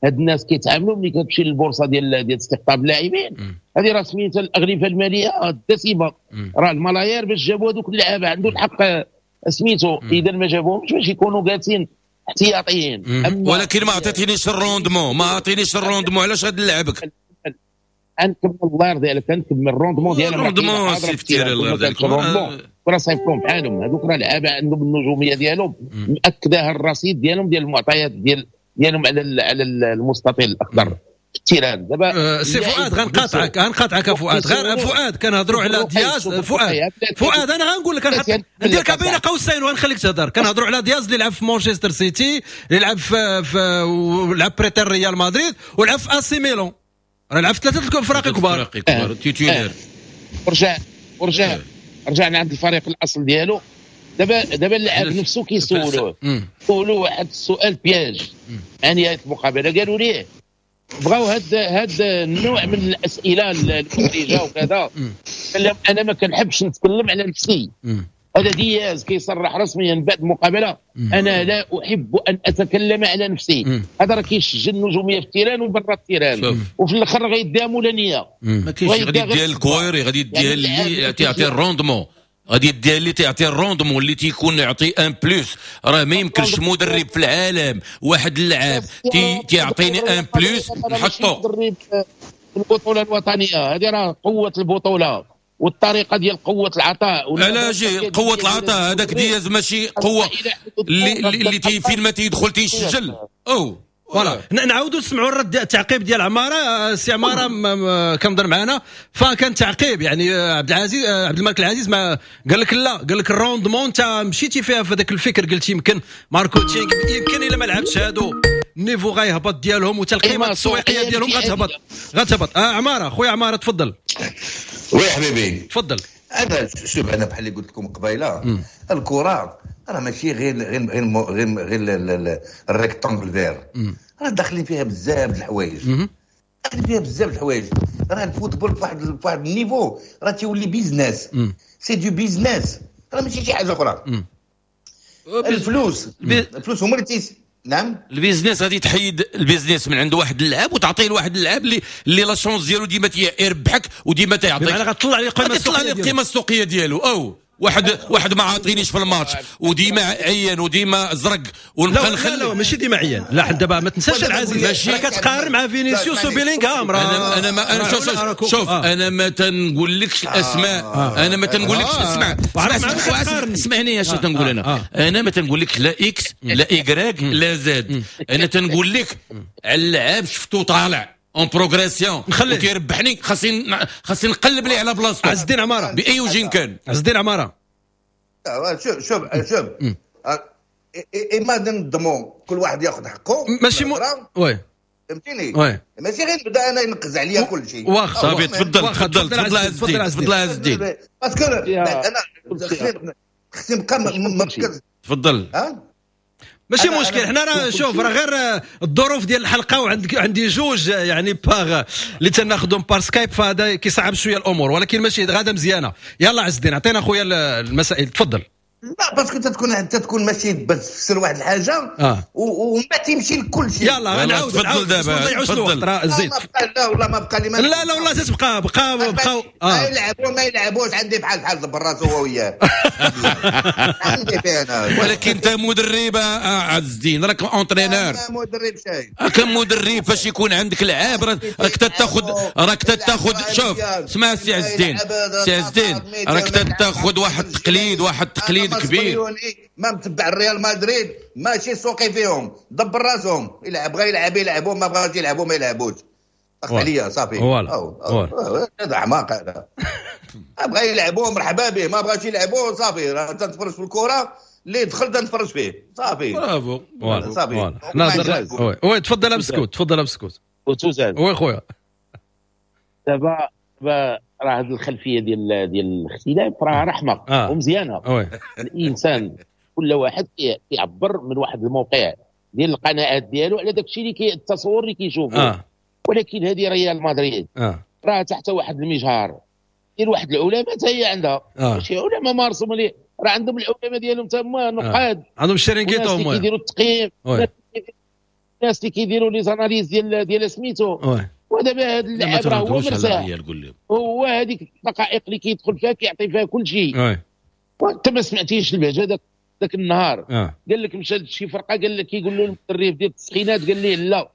G: هاد الناس كيتعاملوا ملي كتمشي للبورصه ديال استقطاب اللاعبين، هذه راه سميتها الاغلفه المالية الدسمة، راه الملايير باش جابوا هذوك اللعابه عنده الحق سميتو، اذا ما جابوهمش باش يكونوا جالسين احتياطيين.
C: ولكن ما عطيتينيش ال rendement، ما عطيتينيش ال rendement، علاش غادي نلعبك؟
G: نكمل الله يرضي عليك، نكمل ال rendement ديالهم،
C: ال rendement سي فتير الله يرضي عليك،
G: راه صيفطهم بحالهم هذوك، راه لعابه عندهم النجومية ديالهم مأكدها الرصيد ديالهم ديال المعطيات ديالهم على المستطيل الاخضر في ال terrain. دابا
B: سي فؤاد غنقاطعك فؤاد، غير فؤاد كنهضروا على دياز. فؤاد انا غنقول لك، ندير لك بين قوسين وغنخليك تهضر. كنهضروا على دياز اللي لعب في مانشستر سيتي، اللي لعب في ولعب prêté ريال مدريد، ولعب في اسي ميلان، راه لعب في ثلاثة الفرق كبار
C: titulaire.
G: رجعنا عند الفريق الاصل ديالو. دابا اللاعب نفسه كيسولوه، سولوه واحد السؤال piège عن نهاية المقابلة، قالوا ليه بغاو هاد النوع من الاسئلة المحرجة وكذا. قال لهم انا ما كنحبش نتكلم على نفسي. هذا دياز كيصرح رسميا بعد المقابلة، انا لا احب ان اتكلم على نفسي. هذا راه كيسجل النجومية في ال terrain وبرا ال terrain، وفي الاخر غيديها مولانيه.
C: ما كاينش غادي يديها الكويري، غادي يديها اللي تيعطي ال rendement، غادي يديها اللي تيعطي ال rendement، اللي تيكون يعطي un plus. راه ما يمكنش مدرب في العالم واحد اللاعب تيعطيني un plus نحطو
G: في البطولة الوطنية. هذه راه قوة البطولة والطريقة ديال قوة العطاء.
C: علاش قوة العطاء؟ هذاك دياز ماشي قوة اللي فين ما تيدخل تيسجل. او
B: voilà نعاودوا نسمعوا الرد التعقيب ديال عمارة. سي عمارة كنهضر معنا، فكان تعقيب يعني عبد العزيز عبد الملك العزيز ما قال لك لا، قال لك ال rendement انت مشيتي فيها في هذاك الفكر، قلت يمكن marketing، يمكن الا ما لعبتش هادو ال niveau غيهبط ديالهم وتا القيمة التسويقية ديالهم غتهبط. عمارة خويا عمارة تفضل.
D: oui حبيبي
B: تفضل.
D: انا شوف، انا بحال اللي قلت لكم قبيلة، الكره راه ماشي غير غير غير غير ال rectangle vert، راه داخلين فيها بزاف د الحوايج، داخلين فيها بزاف د الحوايج. راه ال football فواحد ال niveau راه تيولي business، c'est du business، راه ماشي شي حاجة اخرى. الفلوس هما اللي نعم
C: ال business غادي تحيد ال business من عند واحد اللاعب وتعطيه لواحد اللاعب اللي la chance ديالو ديما تيربحك وديما تيعطيك،
B: بمعنى غتطلع ليه
C: القيمة السوقية ديالو. او واحد ما عاطينيش في الماتش وديما عيان وديما زرق
B: ونبقى نخلي. لا ماشي ديما عيان، لا دابا ما تنساش العزيز راه كتقارن مع فينيسيوس وبيلينغهام.
C: راه انا ما انا شوف انا ما تنقولكش الاسماء، انا ما تنقولكش اسمع اسمعني اش تنقول انا. انا ما تنقولكش لا X لا Y لا Z، انا تنقول لك على اللعاب شفتو طالع en progression وتيربحني، خاصني نقلب ليه على بلاصتو.
B: عز الدين عمارة
C: باي وجه كان.
B: عز الدين عمارة
D: شوف شوف شوف اما ننظموا كل واحد ياخذ حقه،
B: ماشي oui
D: فهمتيني، ماشي غير نبدا انا ينقز عليا كل شيء.
B: واخا
C: صافي تفضل تفضل تفضل عز الدين، تفضل عز الدين،
D: parce que انا خصني نبقى مركز.
C: تفضل.
B: ماشي مشكل، حنا راه شوف راه غير الظروف ديال الحلقة وعندي جوج يعني باغ اللي تناخذهم par Skype، فهذا كيصعب شوية الامور، ولكن ماشي غاده مزيانه. يلا عز الدين عطينا خويا المسائل تفضل.
D: لا parce que تكون ماشي بس تفسر واحد الحاجة وما تمشي لكل شيء.
B: يلا غنعاود
C: تفضل دابا
B: تفضل زيد.
D: لا والله ما بقى لي
B: لا لا والله تتبقى بقى بقى
D: ما يلعبوا ما يلعبوش عندي بحال بحال دبر راسو هو وياه عندي فيه انا.
C: ولكن انت مدرب عز الدين، راك entraîneur.
D: مدرب شاي
C: راك مدرب، فاش يكون عندك لعاب راك تاخذ راك تاخذ. شوف اسمع سي عز الدين، سي عز الدين راك تاخذ واحد التقليد، واحد التقليد وليد كبير،
D: ما متبع الريال مدريد، ماشي سوقي فيهم، دبر راسهم، يلعب بغا يلعب يلعبوا، ما بغاش يلعبوا ما يلعبوش. عليا صافي. هذا عماق هذا. بغا يلعبوا مرحبا به، ما بغاش يلعبوا صافي. راه تنتفرج في الكره، اللي دخل تنتفرج فيه صافي.
C: برافو
D: صافي.
B: oui تفضل بسكوت، تفضل بسكوت. oui خويا
G: دابا راه هذه الخلفية ديال الاختلاف راه رحمه ومزيانه. الانسان كل واحد كيعبر من واحد الموقع ديال القناعات ديالو على داك الشيء اللي التصور اللي كيشوفه. ولكن هذه ريال مدريد راه تحت واحد المجهر ديال واحد العلماء حتى هي عندها ماشي علماء مارسوا ملي راه عندهم العلماء ديالهم تما نقاد،
B: عندهم الشرينكيتو هما
G: كيديروا التقييم، الناس اللي كيديروا les analyses ديال سميتو. ودابا هذا اللاعب راه هو مرتاح، هو هذيك الدقائق اللي كيدخل فيها كيعطي فيها كل شيء. وانت ما سمعتيش البهجة ذاك النهار. قال لك مشى لشي فرقه، قال لك كيقول له المدرب ديال التسخينات، قال ليه لا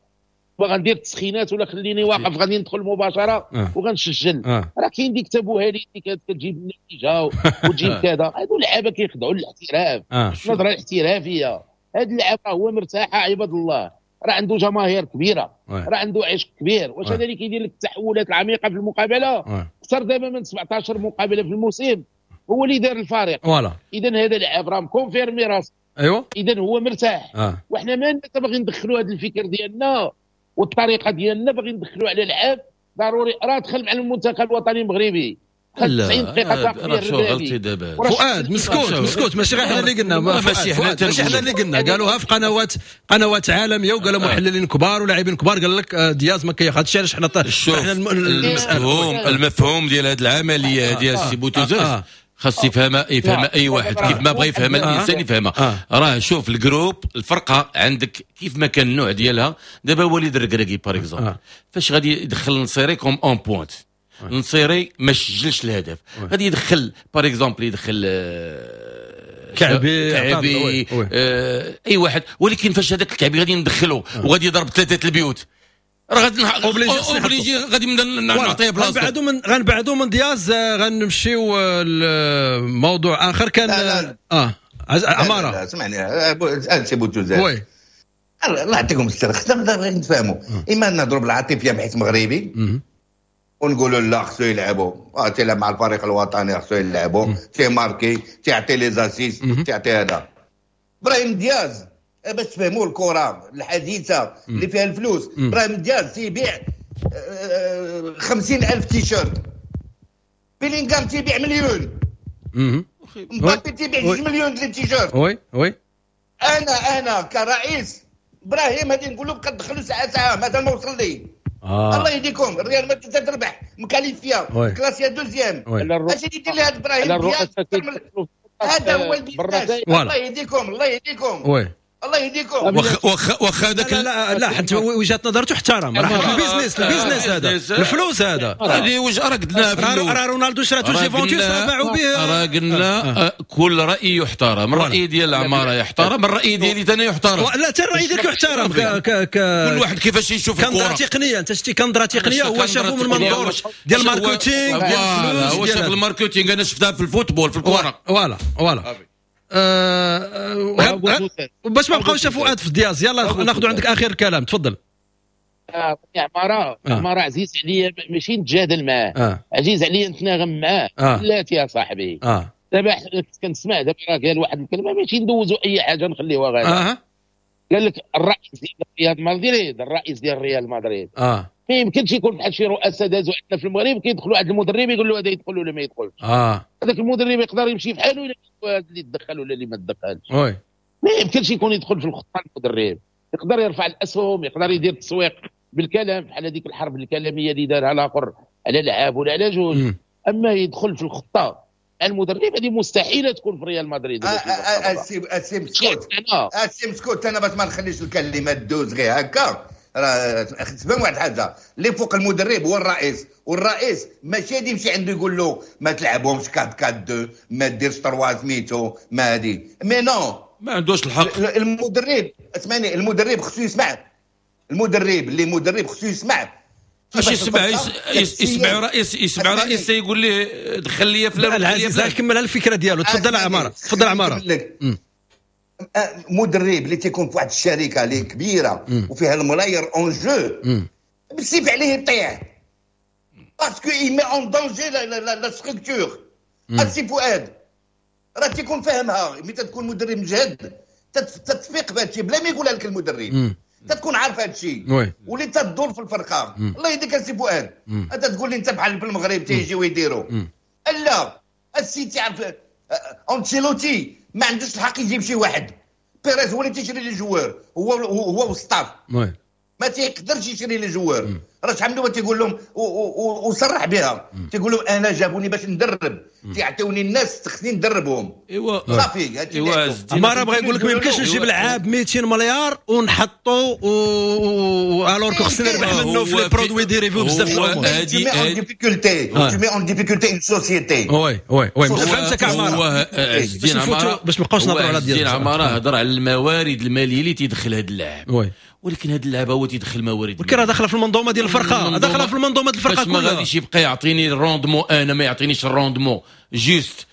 G: ما غندير التسخينات ولا خليني واقف، غادي ندخل مباشرة وغنسجل. راه كاين ديك تبوهالي اللي كتجيب النتيجة وتجيب كذا. هادو اللعابه كيخضعوا للاحتراف، النظرة الاحترافية. هاد اللاعب راه هو مرتاح عباد الله، راه عنده جماهير كبيرة، راه عنده عشق كبير. واش هذا اللي كيدير لك التحولات العميقة في المقابلة اكثر دابا من 17 مقابله في الموسم هو اللي دار الفريق. اذا هذا اللاعب راه م confirmé راسو.
B: ايوا
G: اذا هو مرتاح. وحنا ما باغي ندخلوا هذا الفكر ديالنا والطريقة ديالنا، باغي ندخلوا على لعاب ضروري راه دخل مع المنتخب الوطني المغربي 90 دقيقة
C: تقريبا.
B: فؤاد مسكوت ماشي غير حنا اللي قلنا، ماشي حنا اللي قلنا، قالوها في قنوات عالمية وقالوا محللين كبار ولاعبين كبار، قال لك دياز ما كياخذش. علاش حنا
C: المفهوم ديال هذه العملية ديال السي بوتوزاز خاص يفهمها اي واحد كيف ما بغى يفهمها الانسان يفهمها. راه شوف ال groupe الفرقة عندك كيف ما كان النوع ديالها. دابا وليد الركراكي par exemple فاش غادي يدخل نصيري comme une pointe، نصيري ما سجلش الهدف، غادي يدخل par exemple يدخل كعبي اي واحد، ولكن فاش هذاك الكعبي غادي ندخله وغادي يضرب 3 البيوت راه غادي obligé غادي نعطيه بلاصتو.
B: غنبعدو من دياز، غنمشيو لموضوع اخر. كان عمارة
D: اسمعني سي بوتوزاز،
B: oui
D: الله يعطيكم الستر، خصنا غير نتفاهموا. اما نهضروا بالعاطفيه بحيث مغربي ونقولوا لا خصو يلعبوا، تيلعب مع الفريق الوطني خصو يلعبوا، تي marquer تيعطي les assists تيعطي هذا. ابراهيم دياز باش تفهموا الكره الحديثة اللي فيها الفلوس، ابراهيم دياز تيبيع 50,000 تيشيرت، بيلينغهام تيبيع مليون، مبابي تيبيع 2 مليون ديال التيشيرت.
B: oui oui
D: انا كرئيس ابراهيم غادي نقول له بقى تدخلوا ساعة ساعة مازال ما وصل لي. الله يهديكم، الريال مدريد تربح م qualifié classé deuxième، اش يدير لي هذا ابراهيم دياز؟ هذا هو ال business. الله يهديكم، الله يهديكم، الله يهديكم.
C: واخا هذاك
B: لا لا حتى وجهه نظر تحترم، راه ال business ال business هذا الفلوس هذا
C: هذه وجهه راه قلناها في الاول.
B: راه رونالدو شراتو جيفونتوس راه باعوا به.
C: راه قلنا كل راي يحترم، الراي ديال العمارة يحترم، الراي ديالي انا يحترم.
B: لا حتى الراي ديالك يحترم.
C: كل واحد كيفاش يشوف الكره.
B: كنظره تقنية، انت شتي كنظره تقنية، هو شافو من منظور ديال ال marketing ديال الفلوس،
C: هو شاف ال marketing، انا شفتها في ال football في الكره.
B: voilà voilà. باش ما بقاوش فؤاد في دياز، يلا ناخذ عندك اخر كلام، تفضل.
G: يا عمارة عمارة عزيز عليا ماشي نتجادل معاه، عزيز عليا نتناغم معاه. بلاتي يا صاحبي. دابا كنسمع دابا راه قال واحد الكلمة ماشي ندوزو اي حاجة نخليوها غادا. قال لك الرئيس ديال ريال مدريد، الرئيس ديال ريال مدريد ما يمكنش يكون بحال شي رؤساء دازوا عندنا في المغرب كيدخلوا عند المدرب يقول له هذا يدخل ولا ما يدخلش. هذاك المدرب يقدر يمشي في حاله ولا هذا اللي تدخل ولا اللي ما تدخلش. ما يمكنش يكون يدخل في الخطة المدرب، يقدر يرفع الاسهم، يقدر يدير التسويق بالكلام بحال هذيك الحرب الكلامية اللي دارها الاخر على لعاب ولا على جوج. اما يدخل في الخطة المدرب هذه مستحيلة تكون في ريال مدريد.
D: اسي مسكوت، انا باش ما نخليش الكلمة دوز غير هكا، راه تفهم واحد الحاجة، اللي فوق المدرب هو الرئيس، والرئيس ماشي غادي يمشي عنده يقول له ما تلعبهمش 4 4 2، ما ديرش 3 سميتو، ما هادي، mais non،
C: ما عندوش الحق
D: المدرب. اسمعني، المدرب خصو يسمع، المدرب اللي مدرب خصو يسمع
C: اش يسمع رئيس، يسمع رئيس يقول ليه دخل لي فلان.
B: العزيز كمل الفكرة ديالو. تفضل عمارة، تفضل عمارة.
D: مدرب اللي تيكون في واحد الشركة اللي كبيرة وفيها الملاير en jeu، بالسيف عليه يطيح parce que il met en danger la structure. السي فؤاد راه تيكون فاهمها، ملي تكون مدرب مجهد تتفيق بهذا الشيء بلا ما يقولها لك المدرب، تتكون عارف هذا الشيء واللي تدور في الفرقة. الله يهديك السي فؤاد، انت تقول لي انت بحال في المغرب تيجيو يديروا. لا السي تعرف انشيلوتي ما عندوش الحق يجيب شي واحد، بيريز هو اللي تيشري les joueurs، هو وال staff ما تيقدرش يشري les joueurs. راه شحال من واحد تيقول لهم وصرح بها، تيقول لهم انا جابوني باش ندرب، تيعطيوني الناس خصني ندربهم. ايوا صافي.
B: ايوا عمارة بغا يقول لك ما يمكنش نجيب لعاب 200 مليار ونحطو alors خصنا نربح منه في les produits dérivés بزاف الامور.
D: Tu mets en difficulté une société.
B: oui oui oui فهمتك عمارة. باش ما نبقاوش نهضروا على ديال
C: عمارة، هضر على الموارد المالية اللي تيدخل هذا اللاعب. oui ولكن هذا اللاعب هو تيدخل موارد،
B: ولكن راه داخله في المنظومة ديال الفرقة، داخله في المنظومة ديال الفرقة كلها.
C: ما غاديش يبقى يعطيني ال rendement، انا ما يعطينيش ال rendement juste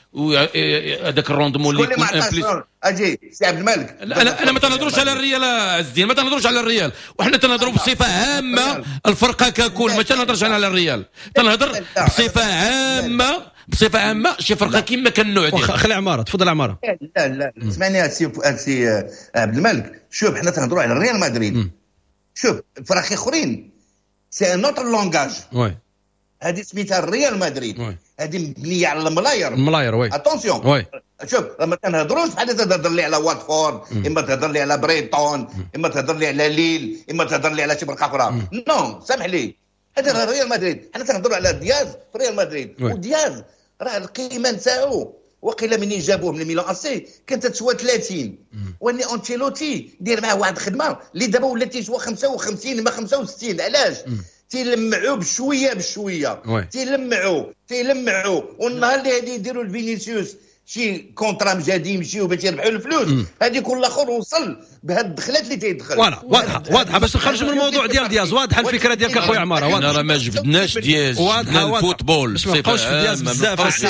C: هذاك ال rendement اللي يكون en plus.
D: اجي سي عبد الملك،
C: انا ما تنهضروش على الريال عز الدين، ما تنهضروش على الريال، وحنا تنهضروا بصفة عامة الفرقة ككل، ما تنهضرش انا على الريال، تنهضر بصفة عامة، بصفة عامة شي فرقه كما كان النوع ديالها.
B: خلي عمارة، تفضل عمارة.
D: لا لا اسمعني سي عبد الملك، شوف حنا تنهضروا على الريال مدريد، شوف فراخ اخرين c'est un autre langage.
B: oui
D: هذه سميتها الريال مدريد، هذه مبنية على الملاير،
B: الملاير. oui
D: attention.
B: oui
D: شوف لما تنهضروش بحال تهضر لي على واتفورد، اما تهضر لي على بريتون، اما تهضر لي على ليل، اما تهضر لي على شي فرقه اخرى. non سامح لي، هذا راه ريال مدريد. حنا تنهضروا على دياز في ريال مدريد، ودياز راه القيمة نتاعو وقيله منين جابوه من ميلان اسي كانت تسوى 30، واني انشيلوتي دير معاه واحد الخدمة اللي دابا ولات تيسوى 55 ما 65. علاش؟ تيلمعوا بشوية بشوية، تيلمعوا والنهار اللي غادي يديروا لفينيسيوس شي contrat مجادي يمشيو باش يربحوا الفلوس، هذيك الاخر وصل بهاد الدخلات اللي تيدخل.
B: voilà واضحة واضحة باش نخرجوا من الموضوع ديال دياز. واضحة الفكرة ديالك اخويا عمارة.
C: واضحة راه ما جبدناش دياز، جبدنا ال football
B: باش ما نبقاوش في دياز بزاف.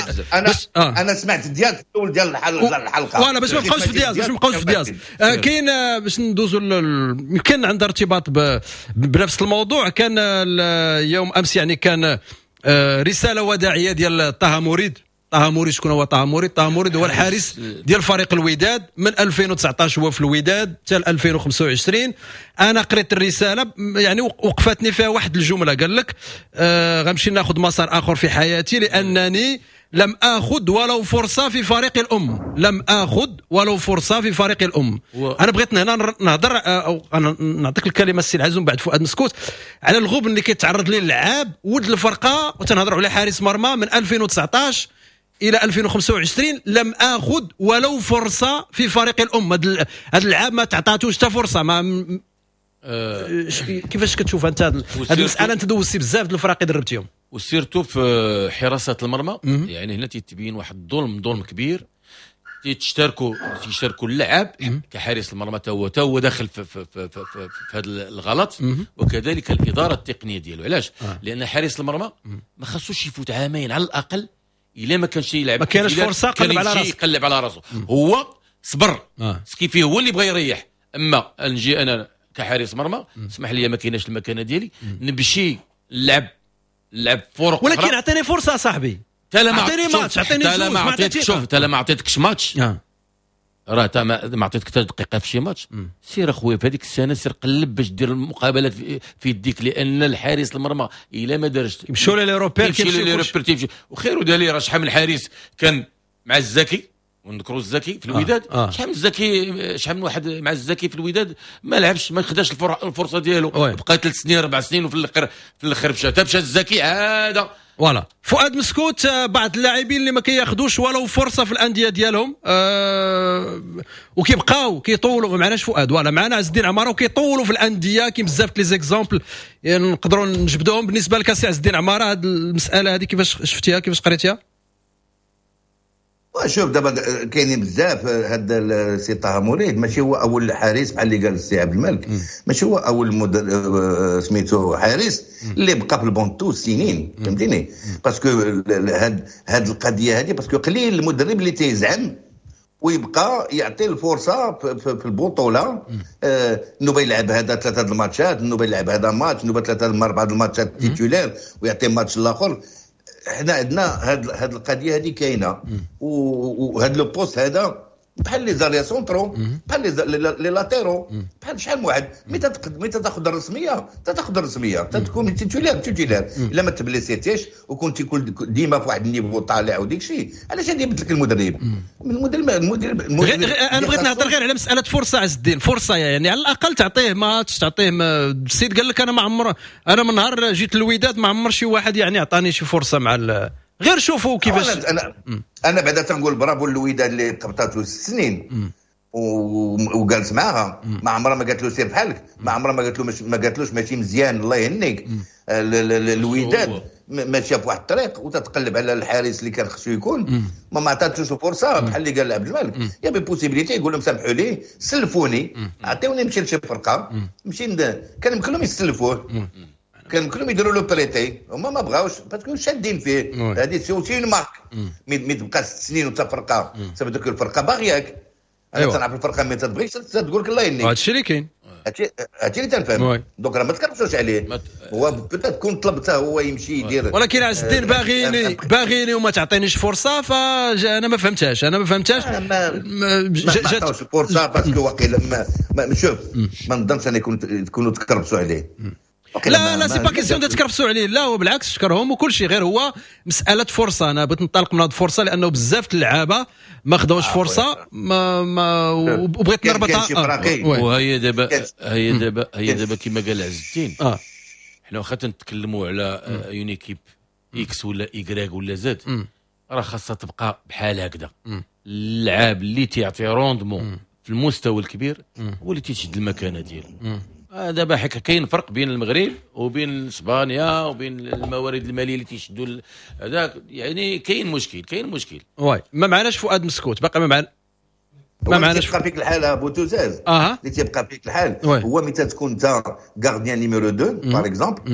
D: انا سمعت دياز في الاول ديال الحلقة.
B: voilà باش ما نبقاوش في دياز، باش ما نبقاوش في دياز. كاين باش ندوزوا يمكن عندها ارتباط بنفس الموضوع. كان يوم امس يعني كان رسالة وداعيه ديال طه مريد. طه مريد شكون هو طه مريد؟ طه مريد هو الحارس ديال فريق الوداد من 2019 هو في الوداد حتى 2025. انا قريت الرسالة يعني وقفتني فيها واحد الجملة، قال لك غنمشي ناخذ مسار اخر في حياتي لانني لم اخذ ولو فرصة في فريق الام، لم اخذ ولو فرصة في فريق الام. انا بغيت هنا نهضر او انا نعطيك الكلمة السي العزيز ومن بعد فؤاد مسكوت على الغبن اللي كيتعرض ليه اللعاب ولد الفرقة، وتنهضروا على حارس مرمى من 2019 الى 2025 لم اخذ ولو فرصة في فريق الام. هذا اللعاب ما تعطاتوش حتى فرصة. ما كيفاش كتشوف انت هذه المسالة؟ انت دوزتي بزاف د الفرق دربتيهم،
C: و surtout في حراسة المرمى. يعني هنا تيتبين واحد الظلم، ظلم كبير. تيشاركوا اللاعب كحارس المرمى تا هو داخل في في في في, في, في هذا الغلط، وكذلك الادارة التقنية ديالو. علاش؟ لان حارس المرمى ما خصوش يفوت عامين على الاقل الا ما كانش يلعب،
B: ما كانش فرصة قلب على راسه،
C: يقلب على راسه. هو صبر ce qui fait هو اللي بغى يريح. اما نجي انا كحارس مرمى اسمح لي ما كايناش المكانة ديالي، نمشي نلعب فرق،
B: ولكن اعطيني فرصة صاحبي. اعطيني ماتش، اعطيني جوج، ما عطيتك.
C: شوف تا ما عطيتكش ماتش، راه تا ما عطيتك حتى دقيقة في شي ماتش. سير اخويا في هذيك السنة سير قلب باش دير المقابلات في يديك، لان الحارس المرمى الا ما دارش
B: يمشوا les repères،
C: كيمشيو les repères تيمشي. وخير دليل راه شحال من حارس كان مع الزكي، ونذكروا الزكي في الوداد، شحال من الزكي، شحال من واحد مع الزكي في الوداد ما لعبش، ما خداش الفرصة ديالو، بقى 3 سنين 4 سنين، وفي الاخر مشى الزكي عادة.
B: voilà فؤاد مسكوت، بعض اللاعبين اللي ما كياخذوش ولو فرصة في الاندية ديالهم وكيبقاو كيطولوا. ما معناش فؤاد، voilà معنا عز الدين عمارة، وكيطولوا في الاندية. كاين بزاف les exemples يعني نقدروا نجبدوهم. بالنسبة لك سي عز الدين عمارة، هذه المسالة هذه كيفاش شفتيها، كيفاش قريتيها؟
D: شوف دابا كاينين بزاف. هذا السي طه مريد ماشي هو اول حارس بحال اللي قال السي عبد الملك، ماشي هو اول سميتو حارس اللي بقى في ال banc de touche سنين، فهمتيني؟ parce que هاد القضية هذه parce que قليل المدرب اللي تيزعم ويبقى يعطي الفرصة في البطولة. نوبه يلعب هذا 3 الماتشات، نوبه يلعب هذا ماتش، نوبه 3 4 الماتشات titulaire ويعطي ماتش الاخر. حنا عندنا هاد القضية هذه كاينه، وهاد le poste هذا بحال les arrières centraux، بحال les latéraux، بحال شحال من واحد ملي تاخذ الرسمية تاخذ الرسمية تكون titulaire الا ما تبليسيتيش وكنت ديما في واحد ال niveau طالع وديك الشيء. علاش غادي يبدلك المدرب؟ المدرب
B: انا بغيت نهضر غير على مسالة فرصة عز الدين، فرصة يعني على الاقل تعطيه ماتش، تعطيه السيد قال لك انا ما عمر، انا من نهار جيت الوداد ما عمر شي واحد يعني عطاني شي فرصة مع غير شوفوا كيفاش.
D: انا بعدا تنقول برافو الوداد اللي قبطاتو 6 سنين وجالس معاها، ما عمرها ما قالت له سير بحالك، ما عمرها ما قالت له ما قالتلوش ماشي مزيان الله يهنيك. الوداد ماشية في واحد الطريق وتتقلب على الحارس اللي كان خصو يكون، ما عطاتوش الفرصة بحال اللي قال عبد الملك. y avait possibilité يقول لهم سامحوا لي سلفوني، عطيوني نمشي لشي فرقه، نمشي كان يمكن لهم يسلفوه، كان يمكن لهم يديروا له prêter، هما ما بغاوش parce que شادين فيه. هذه c'est aussi une marque، mais تبقى 6 سنين وانت فرقه، صافي دوك الفرقة باغياك. انا تنعرف الفرقة mais تبغيش تقول لك الله يهنيك،
B: هادشي اللي كاين،
D: هادشي اللي تنفهم. donc راه ما تكرفسوش عليه، هو peut-être كون طلبته هو يمشي يدير.
B: ولكن عز الدين باغيني وما تعطينيش فرصة، فانا ما فهمتهاش، انا ما فهمتهاش.
D: ما عطاوش الفرصة parce que واقيلا شوف ما نظنش انا يكونوا تكرفسوا عليه.
B: لا c'est pas question تكرفسوا عليه، لا هو بالعكس شكرهم وكل شيء، غير هو مسالة فرصة. انا بغيت ننطلق من هذه الفرصة لانه بزاف اللعابه ما خداوش فرصة ما وبغيت نربطها.
C: وهي دابا هي دابا كما قال عز الدين، حنا واخا تنتكلموا على une équipe X ولا Y ولا Z، راه خاصها تبقى بحال هكذا. اللعاب اللي تيعطي rendement في المستوى الكبير هو اللي تيشد المكانة ديالو. دابا حكا كاين فرق بين المغرب وبين اسبانيا وبين الموارد المالية اللي تيشدوا هذاك، يعني كاين مشكل، كاين مشكل.
B: oui ما معناش فؤاد مسكوت باقي ما معناش.
D: تيبقى فيك الحال بوتوزاز اللي تيبقى فيك الحال هو ملي تكون انت gardien numéro 2 par exemple،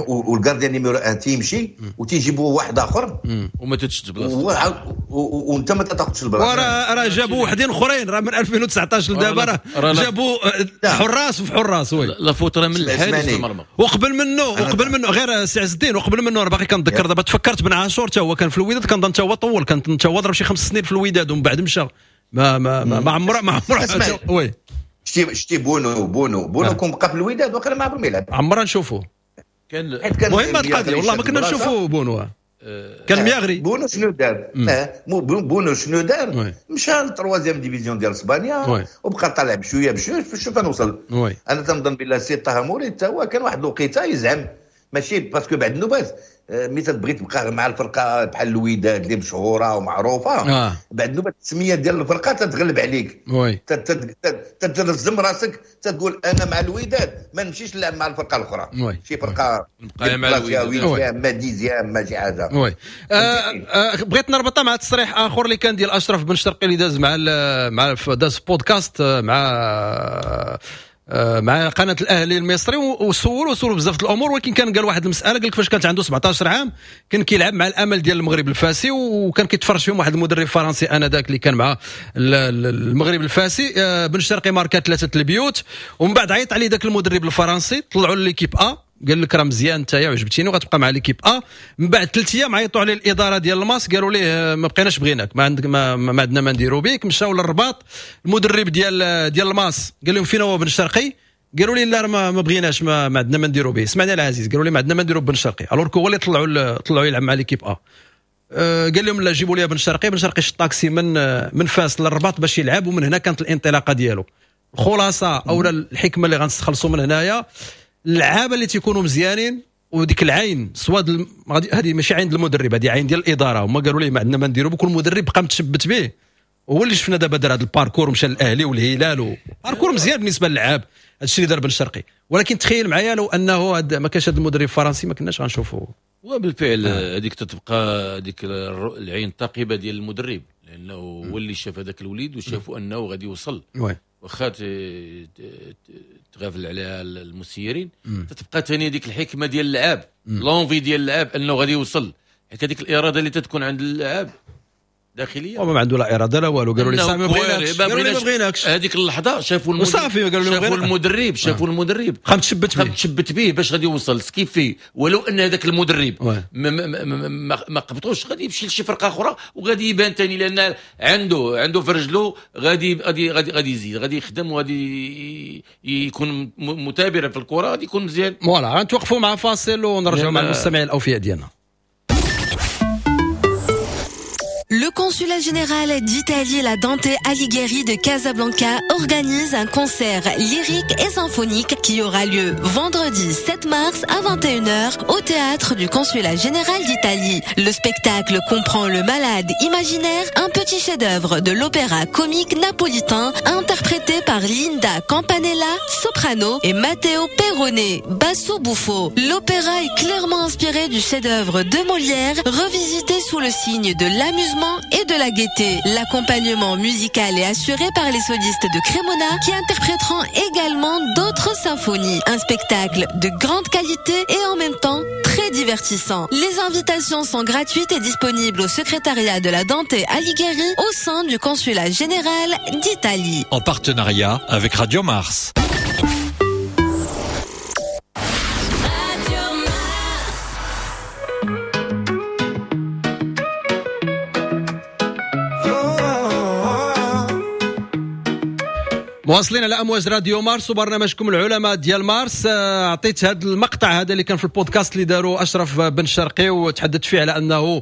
D: وال gardien numéro 1 تيمشي وتيجيبوا واحد اخر
C: وما تتشد بلاصتو
D: وانت ما تاخذش البلاصة.
B: راه جابوا وحدين اخرين، راه من 2019 لدابا راه جابوا حراس وفي حراس. oui
C: la faute راه من الحارس المرمى.
B: وقبل منه غير سي عز الدين، وقبل منه راه باقي كنتذكر دابا تفكرت بن عاشور حتى هو كان في الوداد، كنظن حتى هو طول، كان حتى هو ضرب شي 5 سنين في الوداد ومن بعد مشى. ما ما ما عمره ما عمره. oui
D: شتي بونو كون بقى في الوداد وقيلا ما عمره ما يلعب،
B: عمره نشوفوه.
C: كان
B: مهمة القضية والله ما كنا نشوفوا بونو كان ميغري.
D: بونو شنو دار؟ بونو شنو دار؟ مشى لل troisième division ديال اسبانيا وبقى طالع بشوية بشوية شوف نوصل. انا تنظن بلا سي طه موري حتى هو كان واحد الوقيته يزعم، ماشي parce que بعد النوبات ملي تبغي تبقى مع الفرقة بحال الوداد اللي مشهورة ومعروفة، بعد نوبه التسمية ديال الفرقة تتغلب عليك، تتلزم راسك تقول انا مع الوداد ما نمشيش نلعب مع الفرقة الاخرى، شي فرقه
C: نبقى مع الوداد
D: ما dixième ما شي حاجة.
B: oui بغيت نربطها مع تصريح اخر اللي كان ديال اشرف بن شرقي اللي داز مع داز بودكاست مع قناة الاهلي المصري، وصوروا بزاف الامور، ولكن كان قال واحد المسالة، قال لك فاش كانت عنده 17 عام كان كيلعب مع الامل ديال المغرب الفاسي، وكان كيتفرج فيهم واحد المدرب فرنسي انذاك اللي كان مع المغرب الفاسي. بن شرقي ماركا 3 البيوت، ومن بعد عيط عليه ذاك المدرب الفرنسي، طلعوا l'équipe A، قال لك راه مزيان انت عجبتيني وغتبقى مع l'équipe A. من بعد 3 ايام عيطوا عليه الادارة ديال الماس، قالوا ليه ما بقيناش بغيناك، ما عندك ما عندنا ما نديروا بك. مشاو للرباط، المدرب ديال الماس قال لهم فين هو بن شرقي؟ قالوا لي لا ما بغيناش، ما عندنا ما نديروا به. سمعنا العزيز، قالوا لي ما عندنا ما نديروا بن شرقي، alors que هو اللي طلعوا يلعب مع l'équipe A. قال لهم لا جيبوا لي بن شرقي. بن شرقي شد طاكسي من فاس للرباط باش يلعب، ومن هنا كانت الانطلاقة ديالو. الخلاصة اولا الحكمة اللي غنستخلصوا من هنايا، اللعابه اللي تيكونوا مزيانين وديك العين سواء هذه ماشي عين المدرب، هذه عين ديال الادارة. هما قالوا ليه ما عندنا ما نديروا بكل، المدرب بقى متشبت به. هو اللي شفنا دابا دار هذا ال parcours ومشى للاهلي والهلال، parcours مزيان بالنسبة للعاب، هذا الشيء اللي دار بن شرقي. ولكن تخيل معايا لو انه ما كانش هذا المدرب الفرنسي ما كناش غنشوفوا.
C: وبالفعل هذيك تتبقى هذيك العين الثاقبه ديال المدرب، لانه هو اللي شاف هذاك الوليد وشافوا انه غادي يوصل، واخا تغافل عليها المسيرين. تتبقى ثاني هذيك الحكمة ديال اللعاب، l'envie ديال اللعاب انه غادي يوصل، حيت هذيك الارادة اللي تتكون عند اللاعب داخلية،
B: وما عنده لا اراده لا والو. قالوا لي صافي ما بغيناكش، قالوا لي ما بغيناكش.
C: هذيك اللحظة شافوا المدرب، قالوا المدرب، شافوا المدرب
B: خام تشبت به،
C: تشبت به باش غادي يوصل ce qui fait. ولو ان هذاك المدرب ما قبطوش غادي يمشي لشي فرقه اخرى وغادي يبان ثاني، لان عنده في رجلو غادي غادي غادي غادي يزيد، غادي يخدم وغادي يكون مثابر في الكره، غادي يكون مزيان.
B: voilà غنتوقفوا مع فاصل ونرجعوا مع المستمعين الاوفياء ديالنا.
H: Le consulat général d'Italie, la Dante Alighieri de Casablanca, organise un concert lyrique et symphonique qui aura lieu vendredi 7 mars à 21h au théâtre du consulat général d'Italie. Le spectacle comprend Le Malade imaginaire, un petit chef-d'œuvre de l'opéra comique napolitain interprété par Linda Campanella, soprano, et Matteo Perrone, basso buffo. L'opéra est clairement inspiré du chef-d'œuvre de Molière, revisité sous le signe de l'amusement et de la gaieté. L'accompagnement musical est assuré par les solistes de Cremona qui interpréteront également d'autres symphonies. Un spectacle de grande qualité et en même temps très divertissant. Les invitations sont gratuites et disponibles au secrétariat de la Dante Alighieri au sein du consulat général d'Italie.
I: En partenariat avec Radio Mars.
B: مواصلين على امواج راديو مارس وبرنامجكم العلماء ديال مارس. عطيت هذا المقطع هذا اللي كان في البودكاست اللي داروا اشرف بن شرقي، وتحدث فيه على انه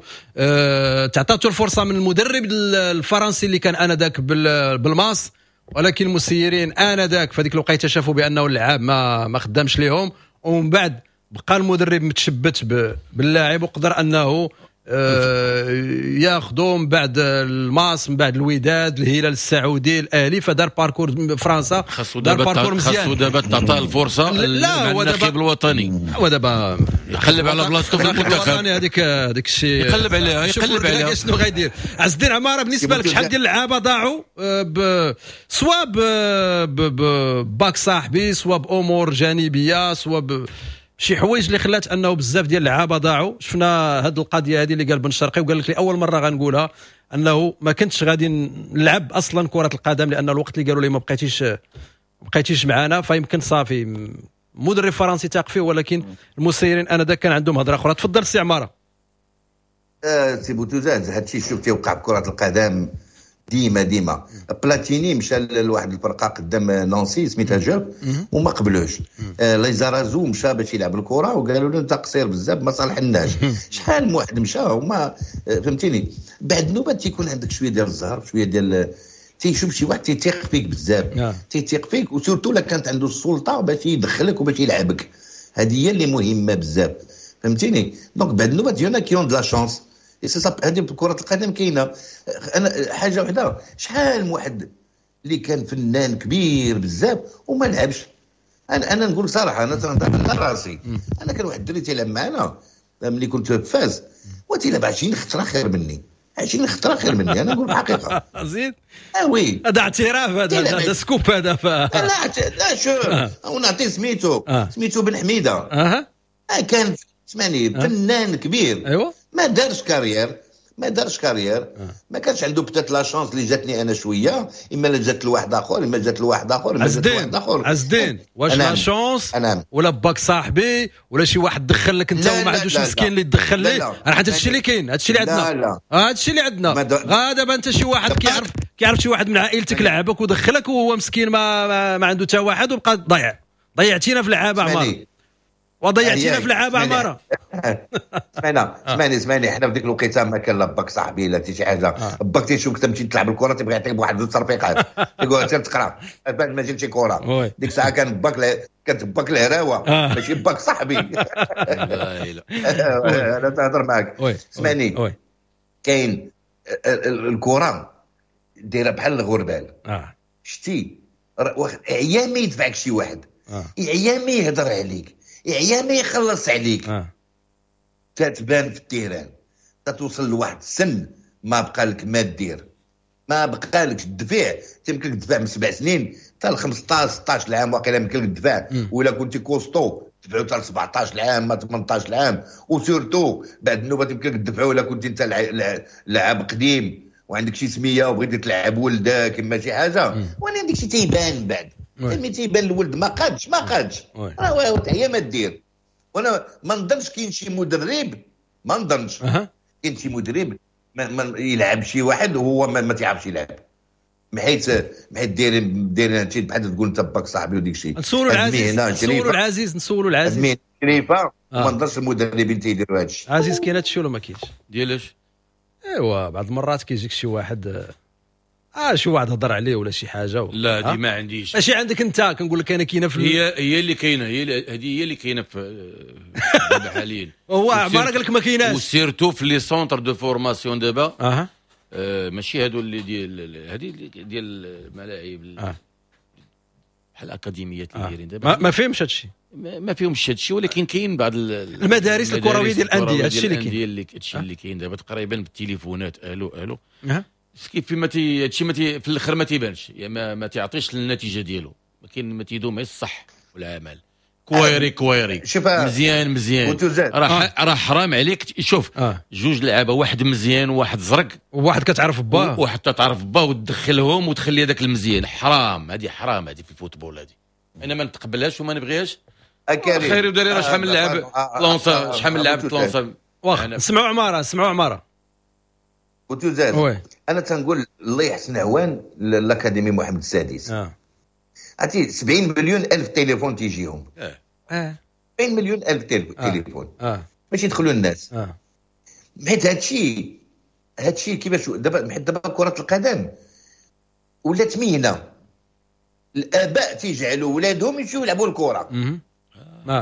B: تعطاتو الفرصة من المدرب الفرنسي اللي كان انذاك بالماس، ولكن المسيرين انذاك في هذيك الوقيته شافوا بانه اللعاب ما خدامش ليهم، ومن بعد بقى المدرب متشبت باللاعب وقدر انه ياخذوا من بعد الماس، من بعد الوداد، الهلال السعودي، الاهلي، فدار parcours فرنسا،
C: دار parcours مزيان. خاصو دابا تعطاه الفرصة. لا هو دابا الوطني،
B: هو دابا
C: يقلب على بلاصتو في المنتخب،
B: هذيك الشيء
C: يقلب عليها، يقلب عليها
B: شنو غايدير. عز الدين عمارة، بالنسبة لك شحال ديال اللعابه ضاعوا سوا باك صاحبي، سوا بامور جانبيه، سوا شي حوايج اللي خلات انه بزاف ديال اللعابه ضاعوا؟ شفنا هذه القضية هذه اللي قال بن شرقي، وقال لك لاول مرة غنقولها انه ما كنتش غادي نلعب اصلا كره القدم، لان الوقت اللي قالوا لي ما بقيتيش معنا، فيمكن صافي مدرب فرنسي تاق فيه، ولكن المسيرين انذاك كان عندهم هضره اخرى. تفضل سي عمارة.
D: سي بوتوزاد، هادشي شوف تيوقع بكره القدم ديما ديما. بلاتيني مشى لواحد الفرقة قدام نانسي سميتها جوب وما قبلوش. ليزارازو مشى باش يلعب الكره وقالوا له انت قصير بزاف ما صالحناش. شحال من واحد مشى وما فهمتيني. بعد نوبه تيكون عندك شوية ديال الزهر، شوية ديال تيشوف شي واحد تيثيق فيك بزاف، تيثيق فيك، و surtout لا كانت عنده السلطة باش يدخلك وباش يلعبك. هذه هي اللي مهمة بزاف، فهمتيني. donc بعد نوبه y en a qui ont de la chance. هذه كرة القدم كاينه. انا حاجة وحده، شحال من واحد اللي كان فنان كبير بزاف وما لعبش. انا نقول صراحة، انا تنهضر على راسي. انا كان واحد الدري تيلعب معنا ملي كنت في فاس، وتيلعب 20 خطره خير مني، 20 خطره خير مني. انا نقول الحقيقة.
B: زيد
D: oui،
B: هذا اعتراف، هذا scoop هذا.
D: لا لا شوف، ونعطي سميتو سميتو بن حميده. كان سمعني فنان كبير.
B: ايوا
D: ما دارش carrière، ما دارش carrière. ما كانش عنده peut-être la chance اللي جاتني انا شوية، اما لا جات لواحد اخر، اما جات لواحد اخر، اما جات لواحد اخر.
B: عز الدين، واش la chance ولا باك صاحبي ولا شي واحد دخل لك انت وما عندوش مسكين اللي تدخل ليه؟ راه حتى هادشي اللي كاين، هادشي اللي عندنا، هادشي اللي عندنا. غا دابا انت شي واحد كيعرف شي واحد من عائلتك لعبك ودخلك وهو مسكين ما عنده حتى واحد وبقى ضيع. ضيعتينا في اللعابه عمار، وضيعتينا في لعابه عمارة.
D: اسمعني اسمعني، حنا في ديك الوقيته ما كان لا باك صاحبي لا شي حاجة. باك تيشوفك تمشي تلعب الكره تيبغي يعطيك بواحد زوج تصرفيقات، يقول سير تقرا بعد ما جبتش كره. ديك الساعة كان باك كانت باك الهراوه، ماشي باك صاحبي. انا تهضر معاك. اسمعني، كاين الكره دايرة بحال الغربال. شتي عيا ما يدفعك شي واحد، عيا ما يهضر عليك، عيا ما يخلص عليك، تتبان في ال terrain، تتوصل لواحد السن ما بقى لك ما دير، ما بقى لك الدفاع. تيمكن لك تدفع من 7 سنين حتى ل 15 16 عام واقيلا يمكن لك تدفع، ولا كنتي costaud تدفعوا حتى ل 17 عام ما 18 عام، و surtout بعد النوبة يمكن لك تدفعوا الا كنت انت لاعب قديم وعندك شي سميه وبغيتي تلعب ولدك اما شي حاجة، وانا داك الشيء تيبان بعد ملي تيبان الولد ما قادش راه هي ما دير. وانا ما نظنش كاين شي مدرب، ما نظنش كاين شي مدرب ما يلعب شي واحد وهو ما تيعرفش يلعب، حيت دايرين هادشي بحال تقول انت باك صاحبي وديك الشيء.
B: نسولوا العزيز، نسولوا العزيز
D: شريفه، ما نظنش المدربين تيديروا هادشي.
B: عزيز كاين هادشي ولا ما كاينش؟
C: ديالاش؟
B: ايوا بعض المرات كيجيك شي واحد شي واحد هضر عليه ولا شي حاجة
C: لا هذه ما عنديش.
B: ماشي عندك انت، كنقول لك انا كاينه في
C: هي اللي كاينه، هي هذه هي اللي كاينه في دابا حاليا.
B: هو عمرك قال لك ما كايناش،
C: و surtout في les centres de formation دابا. ماشي هادو اللي ديال هذه ديال الملاعب بحال الاكاديميات اللي دايرين دابا
B: ما فيهمش هادشي،
C: ما فيهمش هادشي، ولكن كاين بعض
B: المدارس الكروية ديال الاندية هادشي اللي كاين،
C: هادشي اللي كاين دابا تقريبا بالتليفونات. الو كيف ما هادشي ما في الاخر ما تيبانش، يعني ما تيعطيش النتيجة ديالو، ما كاين ما تيدوم غير الصح والعمل. كويري مزيان راه حرام عليك. شوف جوج لعابه، واحد مزيان وواحد زرق،
B: وواحد كتعرف باه،
C: وواحد تتعرف باه، وتدخلهم وتخلي هذاك المزيان. حرام هذه، حرام هذه في ال football هذه، انا ما نتقبلهاش وما نبغيهاش. خير وداري راه شحال من لعب لونسا، شحال من لعب لونسا.
B: واخا نسمعوا عمارة، نسمعوا عمارة
D: وتوزاد. انا تنقول الله يحسن عوان l'académie محمد السادس. عرفتي 70 مليون الف تليفون تيجيهم. 70 مليون الف تليفون باش يدخلوا الناس. حيت هادشي كيفاش دابا، حيت دابا كرة القدم ولات مهنة، الاباء تيجعلوا ولادهم يمشيو يلعبوا الكرة.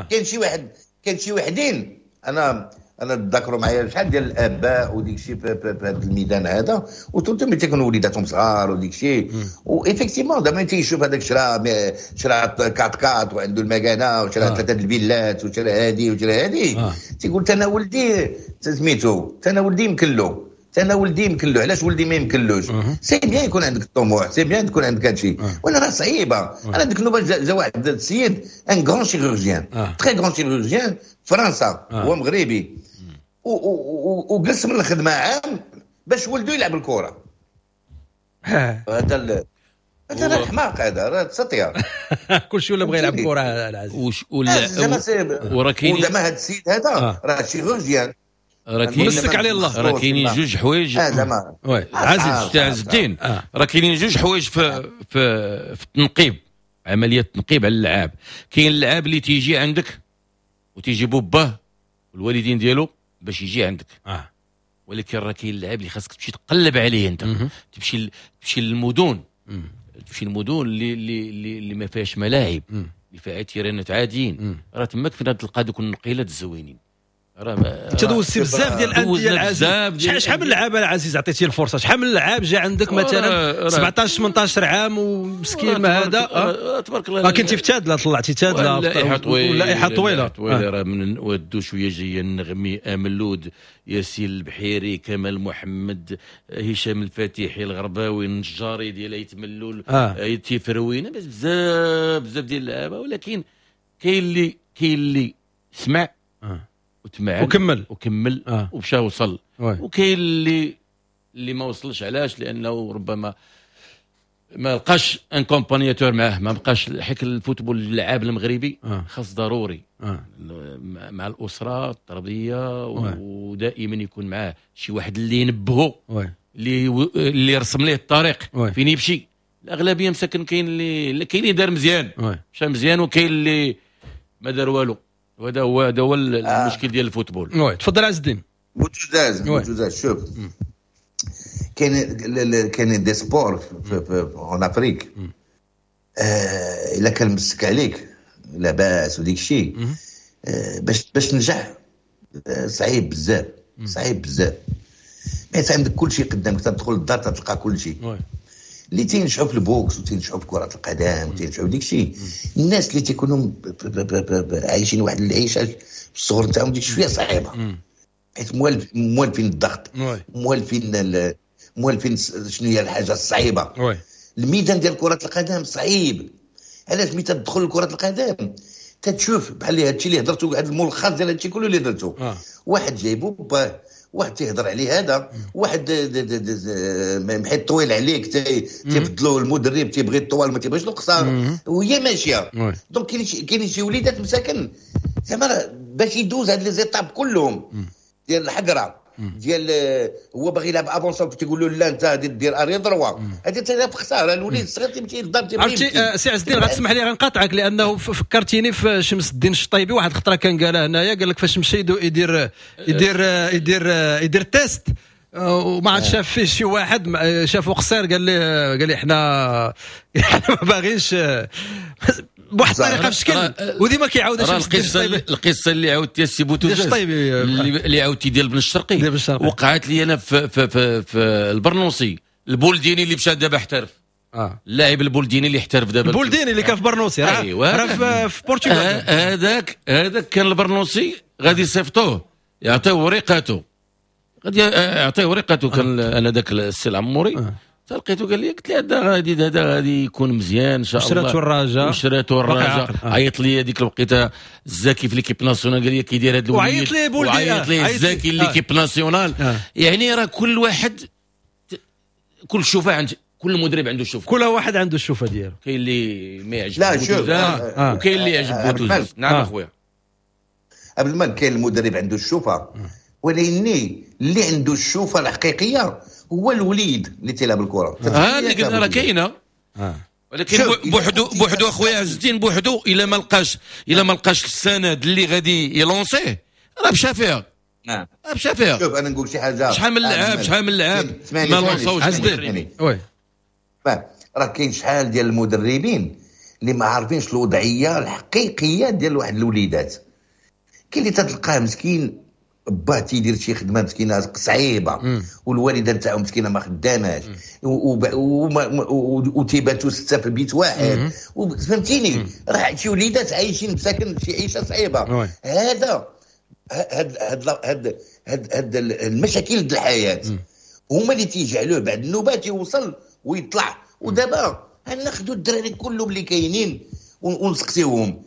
D: كاين شي واحد، كاين شي وحدين انا تذكروا معايا شحال ديال الاباء وديك الشيء في هذا الميدان هذا، وتم ملي تيكونوا وليداتهم صغار وديك الشيء، و effectivement دابا تيشوف هذاك شرا quatre-quatre وعنده المكانة وشرا 3 الفيلات وشرا هادي وشرا هادي، تيقول انا ولدي سميتو، انا ولدي يمكن انا ولدي يمكن له، علاش ولدي ما يمكنلوش؟ c'est bien يكون عندك الطموح، c'est bien تكون عندك هادشي، وانا راه صعيبة. انا ديك النوبة جا واحد السيد un grand chirurgien، très grand chirurgien فرنسا، هو مغربي، وجلس من الخدمة عام باش ولدو يلعب الكره. هذا هذا الحماق، هذا راه تسطيه.
B: كلشي ولا بغى يلعب كره العزيز.
C: وراه كاين
D: زعما هذا السيد هذا راه chirurgien،
C: راه كاين
B: مسك عليه الله.
C: راه كاينين جوج حوايج
B: عزيز
C: تاع عز الدين، راه كاينين جوج حوايج في في التنقيب، عملية التنقيب على اللعاب. كاين اللعاب اللي تيجي عندك وتيجيبو باه والوالدين ديالو باش يجي عندك، ولكن راه كاين اللعاب اللي خاصك تمشي تقلب عليه انت، تمشي للمدن، تمشي للمدن اللي اللي اللي ما فيهاش ملاعب، اللي فيها تيرانات عاديين، راه تماك فين تلقى دوك النقيلات الزوينين.
B: انت دوزتي بزاف ديال الاندية العزيز، شحال من لعابه العزيز عطيتيه الفرصة؟ شحال من لعاب جا عندك مثلا 17 18 عام ومسكين ما هذا؟
C: تبارك الله
B: كنتي في تادله، طلعتي تادله لائحة طويلة
C: طويلة، راه من ودو شوية جاية النغمي، املود، ياسين البحيري، كمال محمد، هشام الفاتحي، الغرباوي، النجاري ديال ايت ملول، تيفروينه، بزاف بزاف ديال اللعابه. ولكن كاين اللي سمع وتمعن وكمل ومشى وصل، وكاين اللي ما وصلش. علاش؟ لانه ربما ما لقاش un accompagnateur معاه، ما بقاش. حيت ال football اللعاب المغربي خاص ضروري مع الاسرة التربية، ودائما يكون معاه شي واحد اللي ينبهه، اللي يرسم ليه الطريق فين يمشي. الاغلبية مساكن كاين اللي دار مزيان، مشى مزيان، وكاين اللي ما دار والو. وهذا هو هذا هو المشكل ديال ال football.
B: oui تفضل عز الدين.
D: بوتوزاز شوف، كاين des sports في en Afrique، الا كان مسك عليك لاباس وديك الشيء، باش تنجح صعيب بزاف، صعيب بزاف، حيت عندك كل شيء قدامك، تدخل للدار تلقى كل شيء. اللي تينجحوا في ال boxe وتينجحوا في كره القدم وتينجحوا في ديك الشيء، الناس اللي تيكونوا عايشين واحد العيشة في الصغر نتاعهم ديك شوية صعيبة، حيت موالفين الضغط، موالفين شنو هي الحاجة الصعيبه. الميدان ديال كره القدم صعيب. علاش؟ ملي تدخل لكرة القدم تتشوف بحال هادشي اللي هضرتو، هذا الملخص ديال هادشي كله اللي درتو. واحد جايبو باه، واحد تيهضر عليه هذا، واحد محيط طويل عليك تيبدلو المدرب، تيبغي الطوال ما تيبغيش القصار، وهي ماشية. donc كاين شي وليدات مساكن زعما باش يدوز هاد les étapes كلهم ديال الحقره ديال هو باغي يلعب avant-centre تيقول له لا انت غادي دير arrière droit، هذه تلعب خسارة. الوليد الصغير تيمشي للدار.
B: عرفتي سي عز الدين، غتسمح لي غنقاطعك لانه فكرتيني في شمس الدين الشطيبي، واحد الخطرة كان قالها هنايا، قال لك فاش مشى يدير يدير يدير يدير test وما عاد شاف فيه شي واحد، شافو قصير، قال لي احنا ما باغينش بواحد الطريقة في الشكل، وديما كيعاود.
C: القصة اللي عاودتي السي بوتوزاز، اللي عاودتي ديال بن الشرقي، وقعت لي انا في البرنوسي، البولديني اللي مشى دابا احترف. اللاعب البولديني اللي احترف دابا.
B: البولديني اللي كان في برنوسي راه. ايوه، في البرتغال.
C: هذاك كان البرنوسي غادي يصيفطوه يعطيه ورقته، غادي يعطيه ورقته. كان انا ذاك السي العموري تلقيته، قال لي، قلت له هذا غادي يكون مزيان ان شاء الله.
B: شراتو الرجاء.
C: وشراتو الرجاء. عيط لي هذيك الوقيته الزاكي في l'équipe nationale، قال لي كيدير هذا الوليد.
B: وعيط لي بولدي.
C: وعيط لي الزاكي l'équipe nationale. يعني راه كل واحد كل شوفه عند كل مدرب عنده شوفه.
B: كل واحد عنده الشوفه ديالو.
C: كاين اللي ما يعجب
D: لا شوف
C: وكاين اللي يعجب بوتوزاز. نعم اخويا.
D: قبل ما كاين المدرب عنده الشوفه، ولكن اللي عنده الشوفه الحقيقية هو الوليد اللي تيلعب الكره.
C: ها اللي قلنا راه كاينه. ولكن بوحدو بوحدو اخويا عز الدين، بوحدو الا ما لقاش السند اللي غادي يلونسيه راه مشى فيها. راه مشى فيها.
D: شوف، انا نقول شي حاجه.
C: شحال من لاعب ما لونساوش.
B: عز الدين، oui.
D: راه كاين شحال ديال المدربين اللي ما عارفينش الوضعية الحقيقية ديال واحد الوليدات. كاين اللي تتلقاه مسكين باه تيدير شي خدمة مسكينه صعيبه، والوالدة نتاعو مسكينه ما خداماش، وتيباتوا ستة في بيت واحد، فهمتيني؟ راه شي وليدات عايشين مساكن شي عيشه صعيبه. هذا هاد هاد هاد هاد, هاد المشاكل ديال الحياة هما اللي تيجعلوه بعد النوبات يوصل ويطلع. ودابا ناخذوا الدراري كلهم اللي كاينين ونسقسيوهم: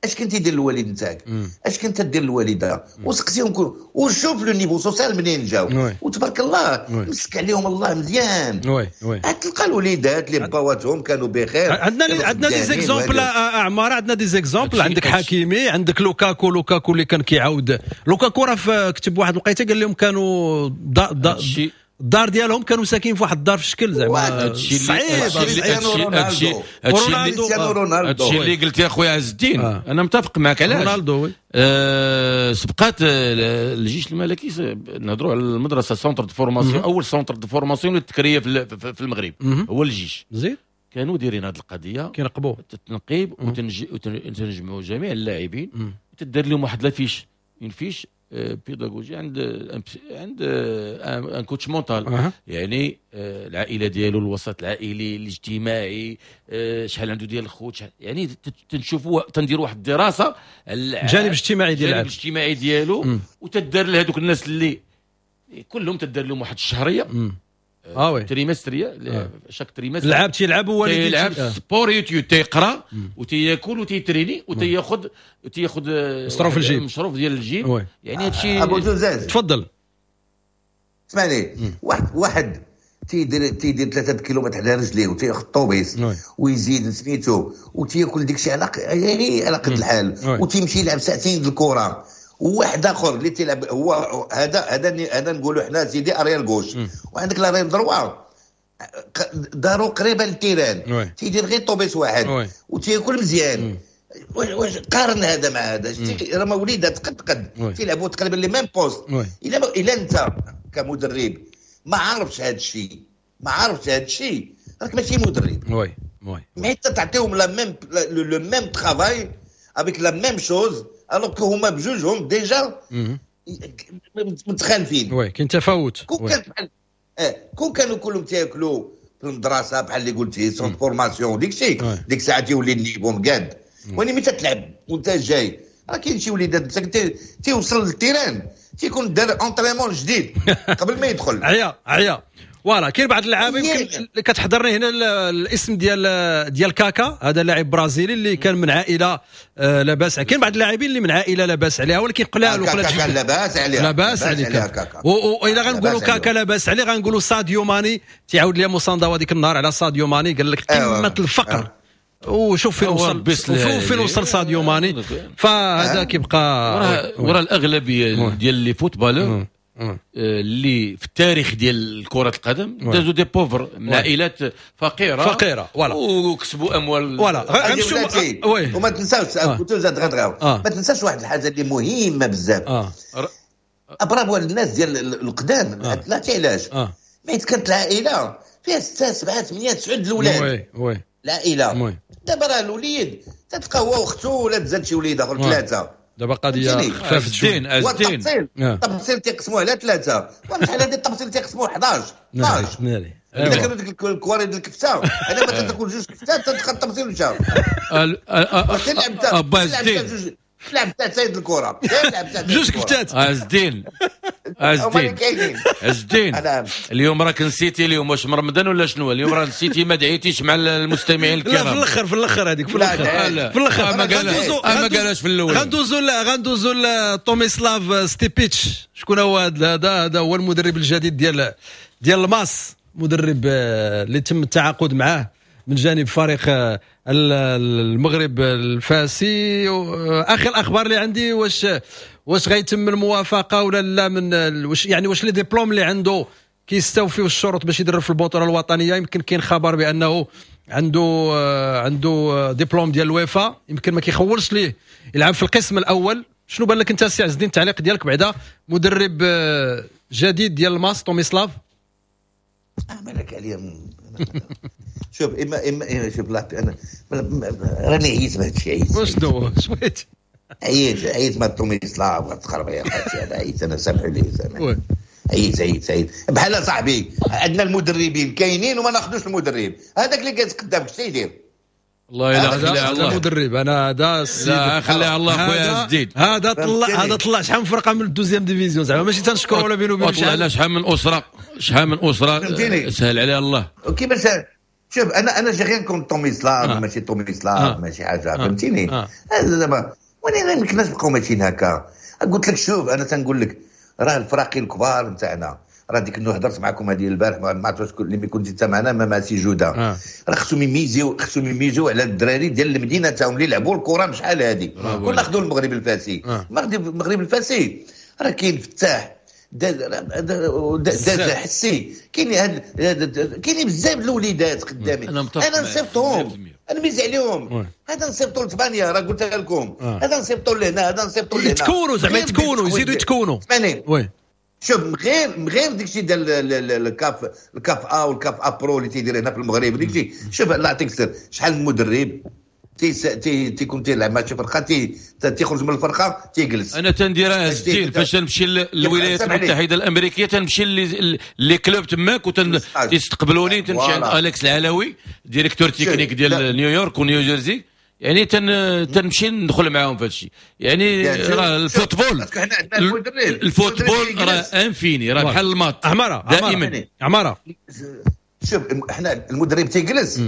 D: اش كنت يدير الوالد نتاعك؟ اش كنت دير الوالده؟ وسقسيهم كل وشوف le niveau social منين جاو. وتبارك الله مسك عليهم الله مزيان.
B: oui oui
D: تلقى الوليدات اللي بواتهم كانوا بخير.
B: عندنا des exemples اعمار، عندنا des exemples، عندك حكيمي، عندك لوكاكو. لوكاكو اللي كان كيعاود، لوكاكو راه كتب واحد الوقيته قال لهم كانوا الدار ديالهم، كانوا ساكنين في واحد الدار في الشكل زعما
C: صعيب. هادشي اللي قلت يا خويا عز الدين انا متفق معك. علاش؟
B: رونالدو، oui.
C: سبقات الجيش الملكي، نهضروا على المدرسه، centre de formation، اول centre de formation اللي تكريه في المغرب هو الجيش.
B: زيد.
C: كانوا دايرين هذه القضيه.
B: كينقبوا.
C: التنقيب، وتنجمعوا جميع اللاعبين وتدير لهم واحد la fiche، une fiche pédagogique عند un coach mental. يعني العائلة ديالو، الوسط العائلي الاجتماعي، شحال عنده ديال الخوت، يعني تنشوفوا تنديروا واحد الدراسة.
B: الجانب الاجتماعي ديال
C: الجانب الاجتماعي ديالو. وتدار لهذوك الناس اللي كلهم تدار لهم واحد الشهريه
B: اه oui
C: trimestrielle، chaque trimestre.
B: العاب تيلعب هو.
C: تيلعب sport-études، تيقرا وتياكل وتيتريني وتياخذ
B: مصروف الجيب.
C: مصروف ديال الجيب. يعني هادشي
D: ابو زوزاز.
B: تفضل.
D: اسمعني، واحد تيدير 3 كيلومتر على رجليه وتياخذ الطوبيس ويزيد سميتو وتياكل ديك الشيء على قد الحال وتيمشي يلعب ساعتين د الكره، وواحد اخر اللي تيلعب هو هذا نقولوا حنا سيدي arrière gauche، وعندك l'arrière droit دارو قريبه لل terrain، تيدير غير طوبيس واحد وتياكل مزيان. واش قارن هذا مع هذا؟ راه ما وليدات قد قد تيلعبوا تقريبا les mêmes postes. الا انت كمدرب ما عارفش هذا الشيء، ما عارفش هذا الشيء، راك ماشي مدرب.
B: oui oui
D: mais تعطيهم la même le même travail avec la même chose alors que هما بجوجهم déjà متخالفين.
B: oui، كاين تفاوت.
D: كون كان كون كانوا كلهم تياكلوا في المدرسة بحال اللي قلتي centre formation ديك الشيء، ديك الساعة تيولي ال niveau مقاد. ولكن ملي تتلعب وانت جاي راه كاين شي وليدات مساكن تيوصل لل terrain تيكون دار entraînement جديد قبل ما يدخل.
B: عيا voilà. كاين بعض اللعابه يمكن كتحضرني هنا الاسم ديال كاكا، هذا لاعب برازيلي اللي كان من عائلة لاباس. كاين بعض اللاعبين اللي من عائلة لاباس عليها ولكن قلال
D: وقلال. كاكا لاباس عليها،
B: لاباس عليه كاكا. واذا غنقولوا كاكا لاباس عليه غنقولوا ساديو ماني. تيعاود لي موساندا هذيك النهار على ساديو ماني، قال لك قمة الفقر. وشوف فين وصل، فين وصل ساديو ماني. فهذا كيبقى
C: ورا الاغلبية ديال les footballeurs اللي في التاريخ ديال كرة القدم دازوا des pauvres من عائلات فقيرة
B: voilà
C: وكسبوا اموال
B: voilà.
D: وما تنساوش ما تنساش واحد الحاجة اللي مهمة بزاف. برافو الناس ديال القدام. لا علاش حيت كانت العائلة فيها 6 7 8 9 الاولاد.
B: oui
D: العائلة دابا راه الوليد تتلقى هو واختو ولا تزاد شي وليد اخر 3.
B: دابا قضية خفافت
C: شوية.
D: التفصيل التفصيل تيقسموه على 3، وشحال هذه التفصيل تيقسموه 11 12. الا كانوا ديك الكواري ديال الكفتة، انا ما تاكل جوج كفتات تدخل التفصيل مشى.
C: ابا
D: لعب تاع سيد الكره، لعب
B: جوج كفتات.
C: عزدين عزدين اليوم راك نسيتي اليوم واش مرمضان ولا شنو؟ اليوم راه نسيتي ما دعيتيش مع المستمعين الكرام.
B: لا في الاخر هذيك في الاخر
C: ما قالهاش في الاول.
B: غندوزو لتوميسلاف ستيبيتش. شكون هو هذا؟ هذا هو المدرب الجديد ديال الماس، مدرب اللي تم التعاقد معاه من جانب فريق المغرب الفاسي. اخر الاخبار اللي عندي واش غيتم الموافقة ولا لا، من واش يعني واش les diplômes اللي عنده كيستوفيو الشروط باش يدرب في البطولة الوطنية. يمكن كاين خبر بانه عنده ديبلوم ديال الويفا، يمكن ما كيخولش ليه يلعب في القسم الاول. شنو بان لك انت سي عز الدين التعليق ديالك بعدا؟ مدرب جديد ديال الماس توميسلاف.
D: مالك عليا. شوف اما شوف لا انا راني عييت بهذا الشيء، عييت.
B: واش دو شويت
D: عييت ما توميسلاف وتخربيق هادشي هذا، عييت انا، سامحوا لي سامحوا. عييت بحال صاحبي عندنا المدربين كاينين وما ناخذوش المدرب هذاك اللي جالس قدامك شنو يدير؟
C: الله يلا خليها الله
B: مدرب. انا هذا السيد
C: لا خليها الله خويا جديد.
B: هذا طلع شحال من فرقه من ال deuxième division، زعما ماشي تنشكروا ولا بينو وبين
C: شحال شحال من اسره سهل عليها الله.
D: كيفاش شوف انا j'ai rien contre توميسلاف، ماشي توميسلاف ماشي حاجة فهمتيني. هذا دابا ولكن ما يمكنناش نبقاو ماشيين هكا. قلت لك شوف انا تنقول لك راه الفراقي الكبار نتاعنا راه ديك النهار هضرت معكم هذه البارح ما عرفتش شكون اللي كنت انت معنا مع سي جوده. راه خصهم يميزيو على الدراري ديال المدينة تاعهم اللي لعبوا الكره شحال هذه. كنا ناخذوا المغرب الفاسي، المغرب الفاسي راه كاين فتاح داز حسي، كاين بزاف الوليدات قدامي. انا نصيفطهم، انا ميز عليهم. هذا نصيفطو لاسبانيا راه قلتها لكم، هذا نصيفطو لهنا، هذا نصيفطو لهنا.
B: يتكونوا زعما يتكونوا يزيدوا يتكونوا. oui
D: شوف غير داكشي ديال الكاف ا والكاف ا pro اللي تيدير هنا في المغرب داكشي. شوف الله يعطيك السر، شحال من مدرب تيكون تيلعب مع شي فرقه تيخرج من الفرقة تيجلس.
C: انا تنديرها ستيل فاش تنمشي للولايات المتحدة الامريكية تنمشي les clubs تماك وتيستقبلوني، تنمشي عند اليكس العلوي directeur technique ديال نيويورك ونيوجيرسي، يعني تنمشي ندخل معاهم في هادشي. يعني راه ال football راه infini، راه بحال ال maths
B: عمارة
C: دائما
B: عمارة.
D: شوف احنا المدرب تيجلس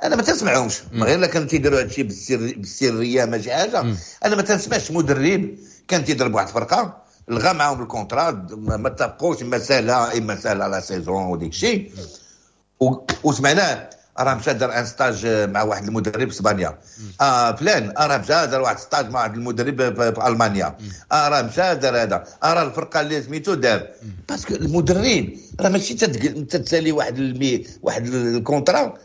D: انا ما تسمعهمش غير الا كانوا تيديروا هادشي بالسريه ماشي حاجة. انا ما تنسمعش مدرب كان تيضرب واحد الفرقة لغى معاهم ال contrat، ما اتفقوش، اما سالا la saison وديك الشيء، وسمعناه راه مشى دار un stage مع واحد المدرب في اسبانيا، فلان راه مشى دار واحد stage مع واحد المدرب في المانيا، راه مشى دار هذا، راه الفرقة اللي سميتو دار. parce que المدرب راه ماشي تتسالي واحد ال contrat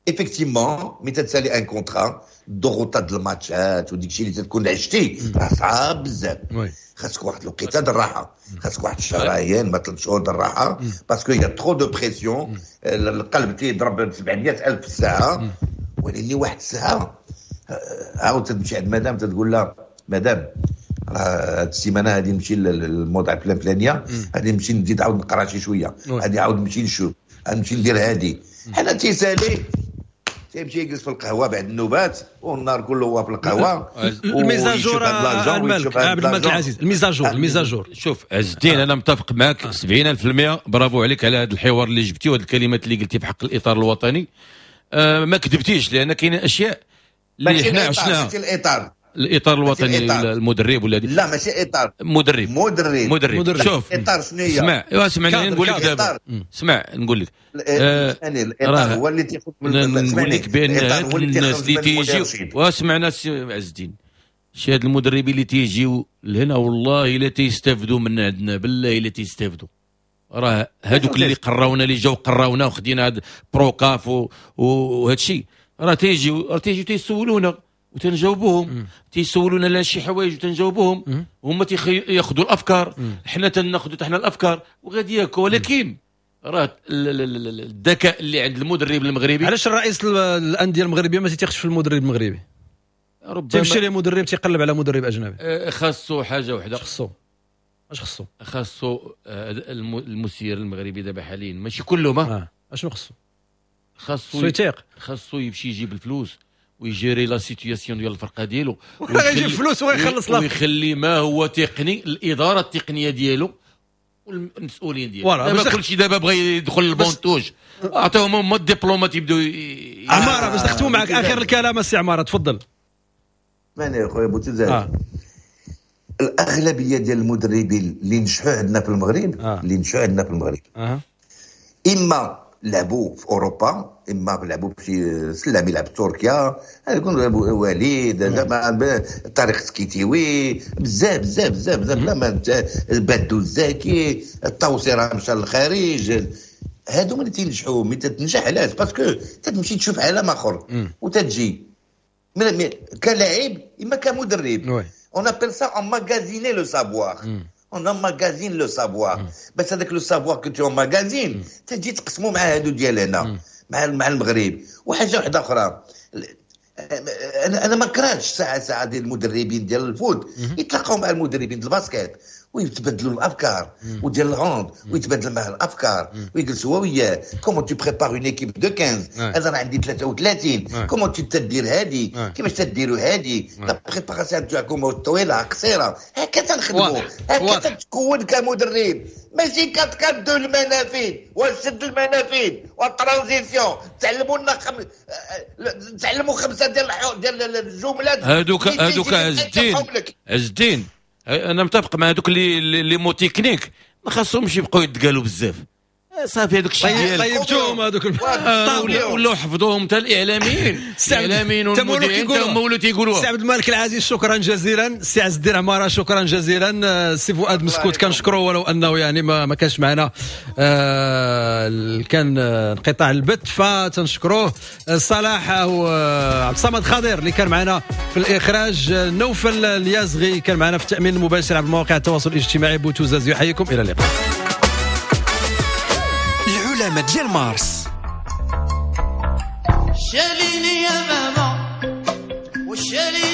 D: effectivement، ملي تتسالي un contrat الضغوطات الماتشات وديك الشيء اللي تكون عشتي راه صعاب بزاف. خاصك واحد الوقيته د الراحة، خاصك واحد الشهرين ما 3 شهور د الراحة، parce que y a trop de pression، القلب تيضرب 700,000 في الساعة. ولكن واحد الساعة عاود تمشي عند مدام تتقول لها مدام راه هاد السيمانة غادي نمشي للموضع فلان فلانيه، غادي نمشي نزيد عاود نقرا شي شوية، غادي عاود نمشي نشوف، غنمشي ندير هادي. حنا تيسالي تيمشي يجلس في القهوة بعد النوبات والنهار كله هو في القهوة.
B: ال mise à jour الملك عبد الملك العزيز، ال mise à jour ال mise à jour.
C: شوف عز الدين، انا متفق معك 70%. برافو عليك على هذا الحوار اللي جبتي وهذه الكلمات اللي قلتي في حق الاطار الوطني. ما كذبتيش، لان كاين اشياء اللي حنا عشناها. الاطار الوطني، المدرب ولا
D: لا ماشي اطار،
C: مدرب
D: مدرب.
C: شوف
D: اطار شنو هي؟
C: اسمع اسمع نقول لك دابا، اسمع نقول لك
D: الاطار هو اللي تياخذ،
C: نقول لك بان الناس اللي تيجيو، واسمعنا سي عز الدين، شي هاد المدربين اللي تيجيو لهنا والله الا تيستافدوا من عندنا، بالله الا تيستافدوا. راه هادوك اللي قراونا، اللي جاو قراونا وخدينا هاد بروكاف وهاد الشيء، راه تيجيو تيسولونا وتنجاوبوهم، تيسولونا على شي حوايج وتنجاوبوهم، هما تياخذوا الافكار، حنا تناخذوا حنا الافكار وغادي هكا. ولكن راه الذكاء اللي عند المدرب المغربي.
B: علاش الرئيس الاندية المغربية ما تيثقش في المدرب المغربي؟ ربما تيمشي ليه مدرب تيقلب على مدرب اجنبي.
C: خاصو حاجة وحده،
B: خاصو اش خاصو؟
C: خاصو المسير المغربي دابا حاليا ماشي كلهم.
B: اشنو خاصو؟
C: خاصو يثيق، خاصو يمشي يجيب الفلوس ويجيري la situation ديال الفرقة ديالو،
B: ويجيب فلوس ويخلص لا،
C: ويخلي ما هو تقني، الادارة التقنية ديالو والمسؤولين ديالو. دابا كلشي دابا بغى يدخل ال banc de touche، اعطيهم هما الدبلومات يبداو.
B: عمارة باش نختموا معك اخر الكلام السي عمارة، تفضل.
D: ماني يا خويا بوتزاز، الاغلبية ديال المدربين اللي نجحوا عندنا في المغرب، اللي نجحوا عندنا في المغرب اما لعبوا في اوروبا، اما لعبوا في سلامي، لعب في تركيا، يكون وليد زعما طارق سكيتيوي، بزاف بزاف بزاف بزاف، لا بادو الزاكي، الطوسي راه مشى للخارج. هادو اللي تينجحوا. ملي تتنجح علاش؟ parce que تتمشي تشوف عالم اخر وتتجي كلاعب اما كمدرب. On appelle ça emmagasiner le savoir. On emmagasine le savoir. بس هذاك le savoir que tu emmagasines تجي تقسمو مع هادو ديال هنا، مع المغرب. وحاجه واحدة اخرى، انا ما كرهتش ساعة ديال المدربين ديال ال foot يتلاقاو مع المدربين ديال ال basket ويتبادلوا الافكار، وديال ال hand ويتبادل معاه الافكار ويجلسوا هو وياه. comment tu prépares une équipe de 15، انا راه عندي 33، comment tu تدير هادي، كيفاش تديروا هادي، la préparation تاعكم طويلة قصيرة، هكا تنخدموا، هكا تتكون كمدرب. ماشي كتكادو المنافذ وسد المنافذ وال transition، تعلموا لنا تعلموا 5 ديال الجملات
C: هادوك عز الدين. عز الدين انا متفق مع هذوك les mots techniques، ما خاصهمش يبقاو يتقالوا بزاف. صافي هذوك الشيء ديال
B: طيبتوهم هذوك،
C: ولاو حفظوهم حتى الاعلاميين، الاعلاميين والمذيعين حتى هما ولاو تيقولوها.
B: سي عبد الملك العزيز شكرا جزيلا، سي عز الدين عمارة شكرا جزيلا، سي فؤاد مسكوت كنشكروه ولو انه يعني ما كانش معنا، كان انقطاع البث فتنشكروه. صلاح وعبد الصمد خضير اللي كان معنا في الاخراج، نوفل اليازغي كان معنا في التامين المباشر عبر مواقع التواصل الاجتماعي. بوتوزاز يحييكم، الى اللقاء.
F: العلامة ديال مارس.
A: شاليني يا ماما وشاليني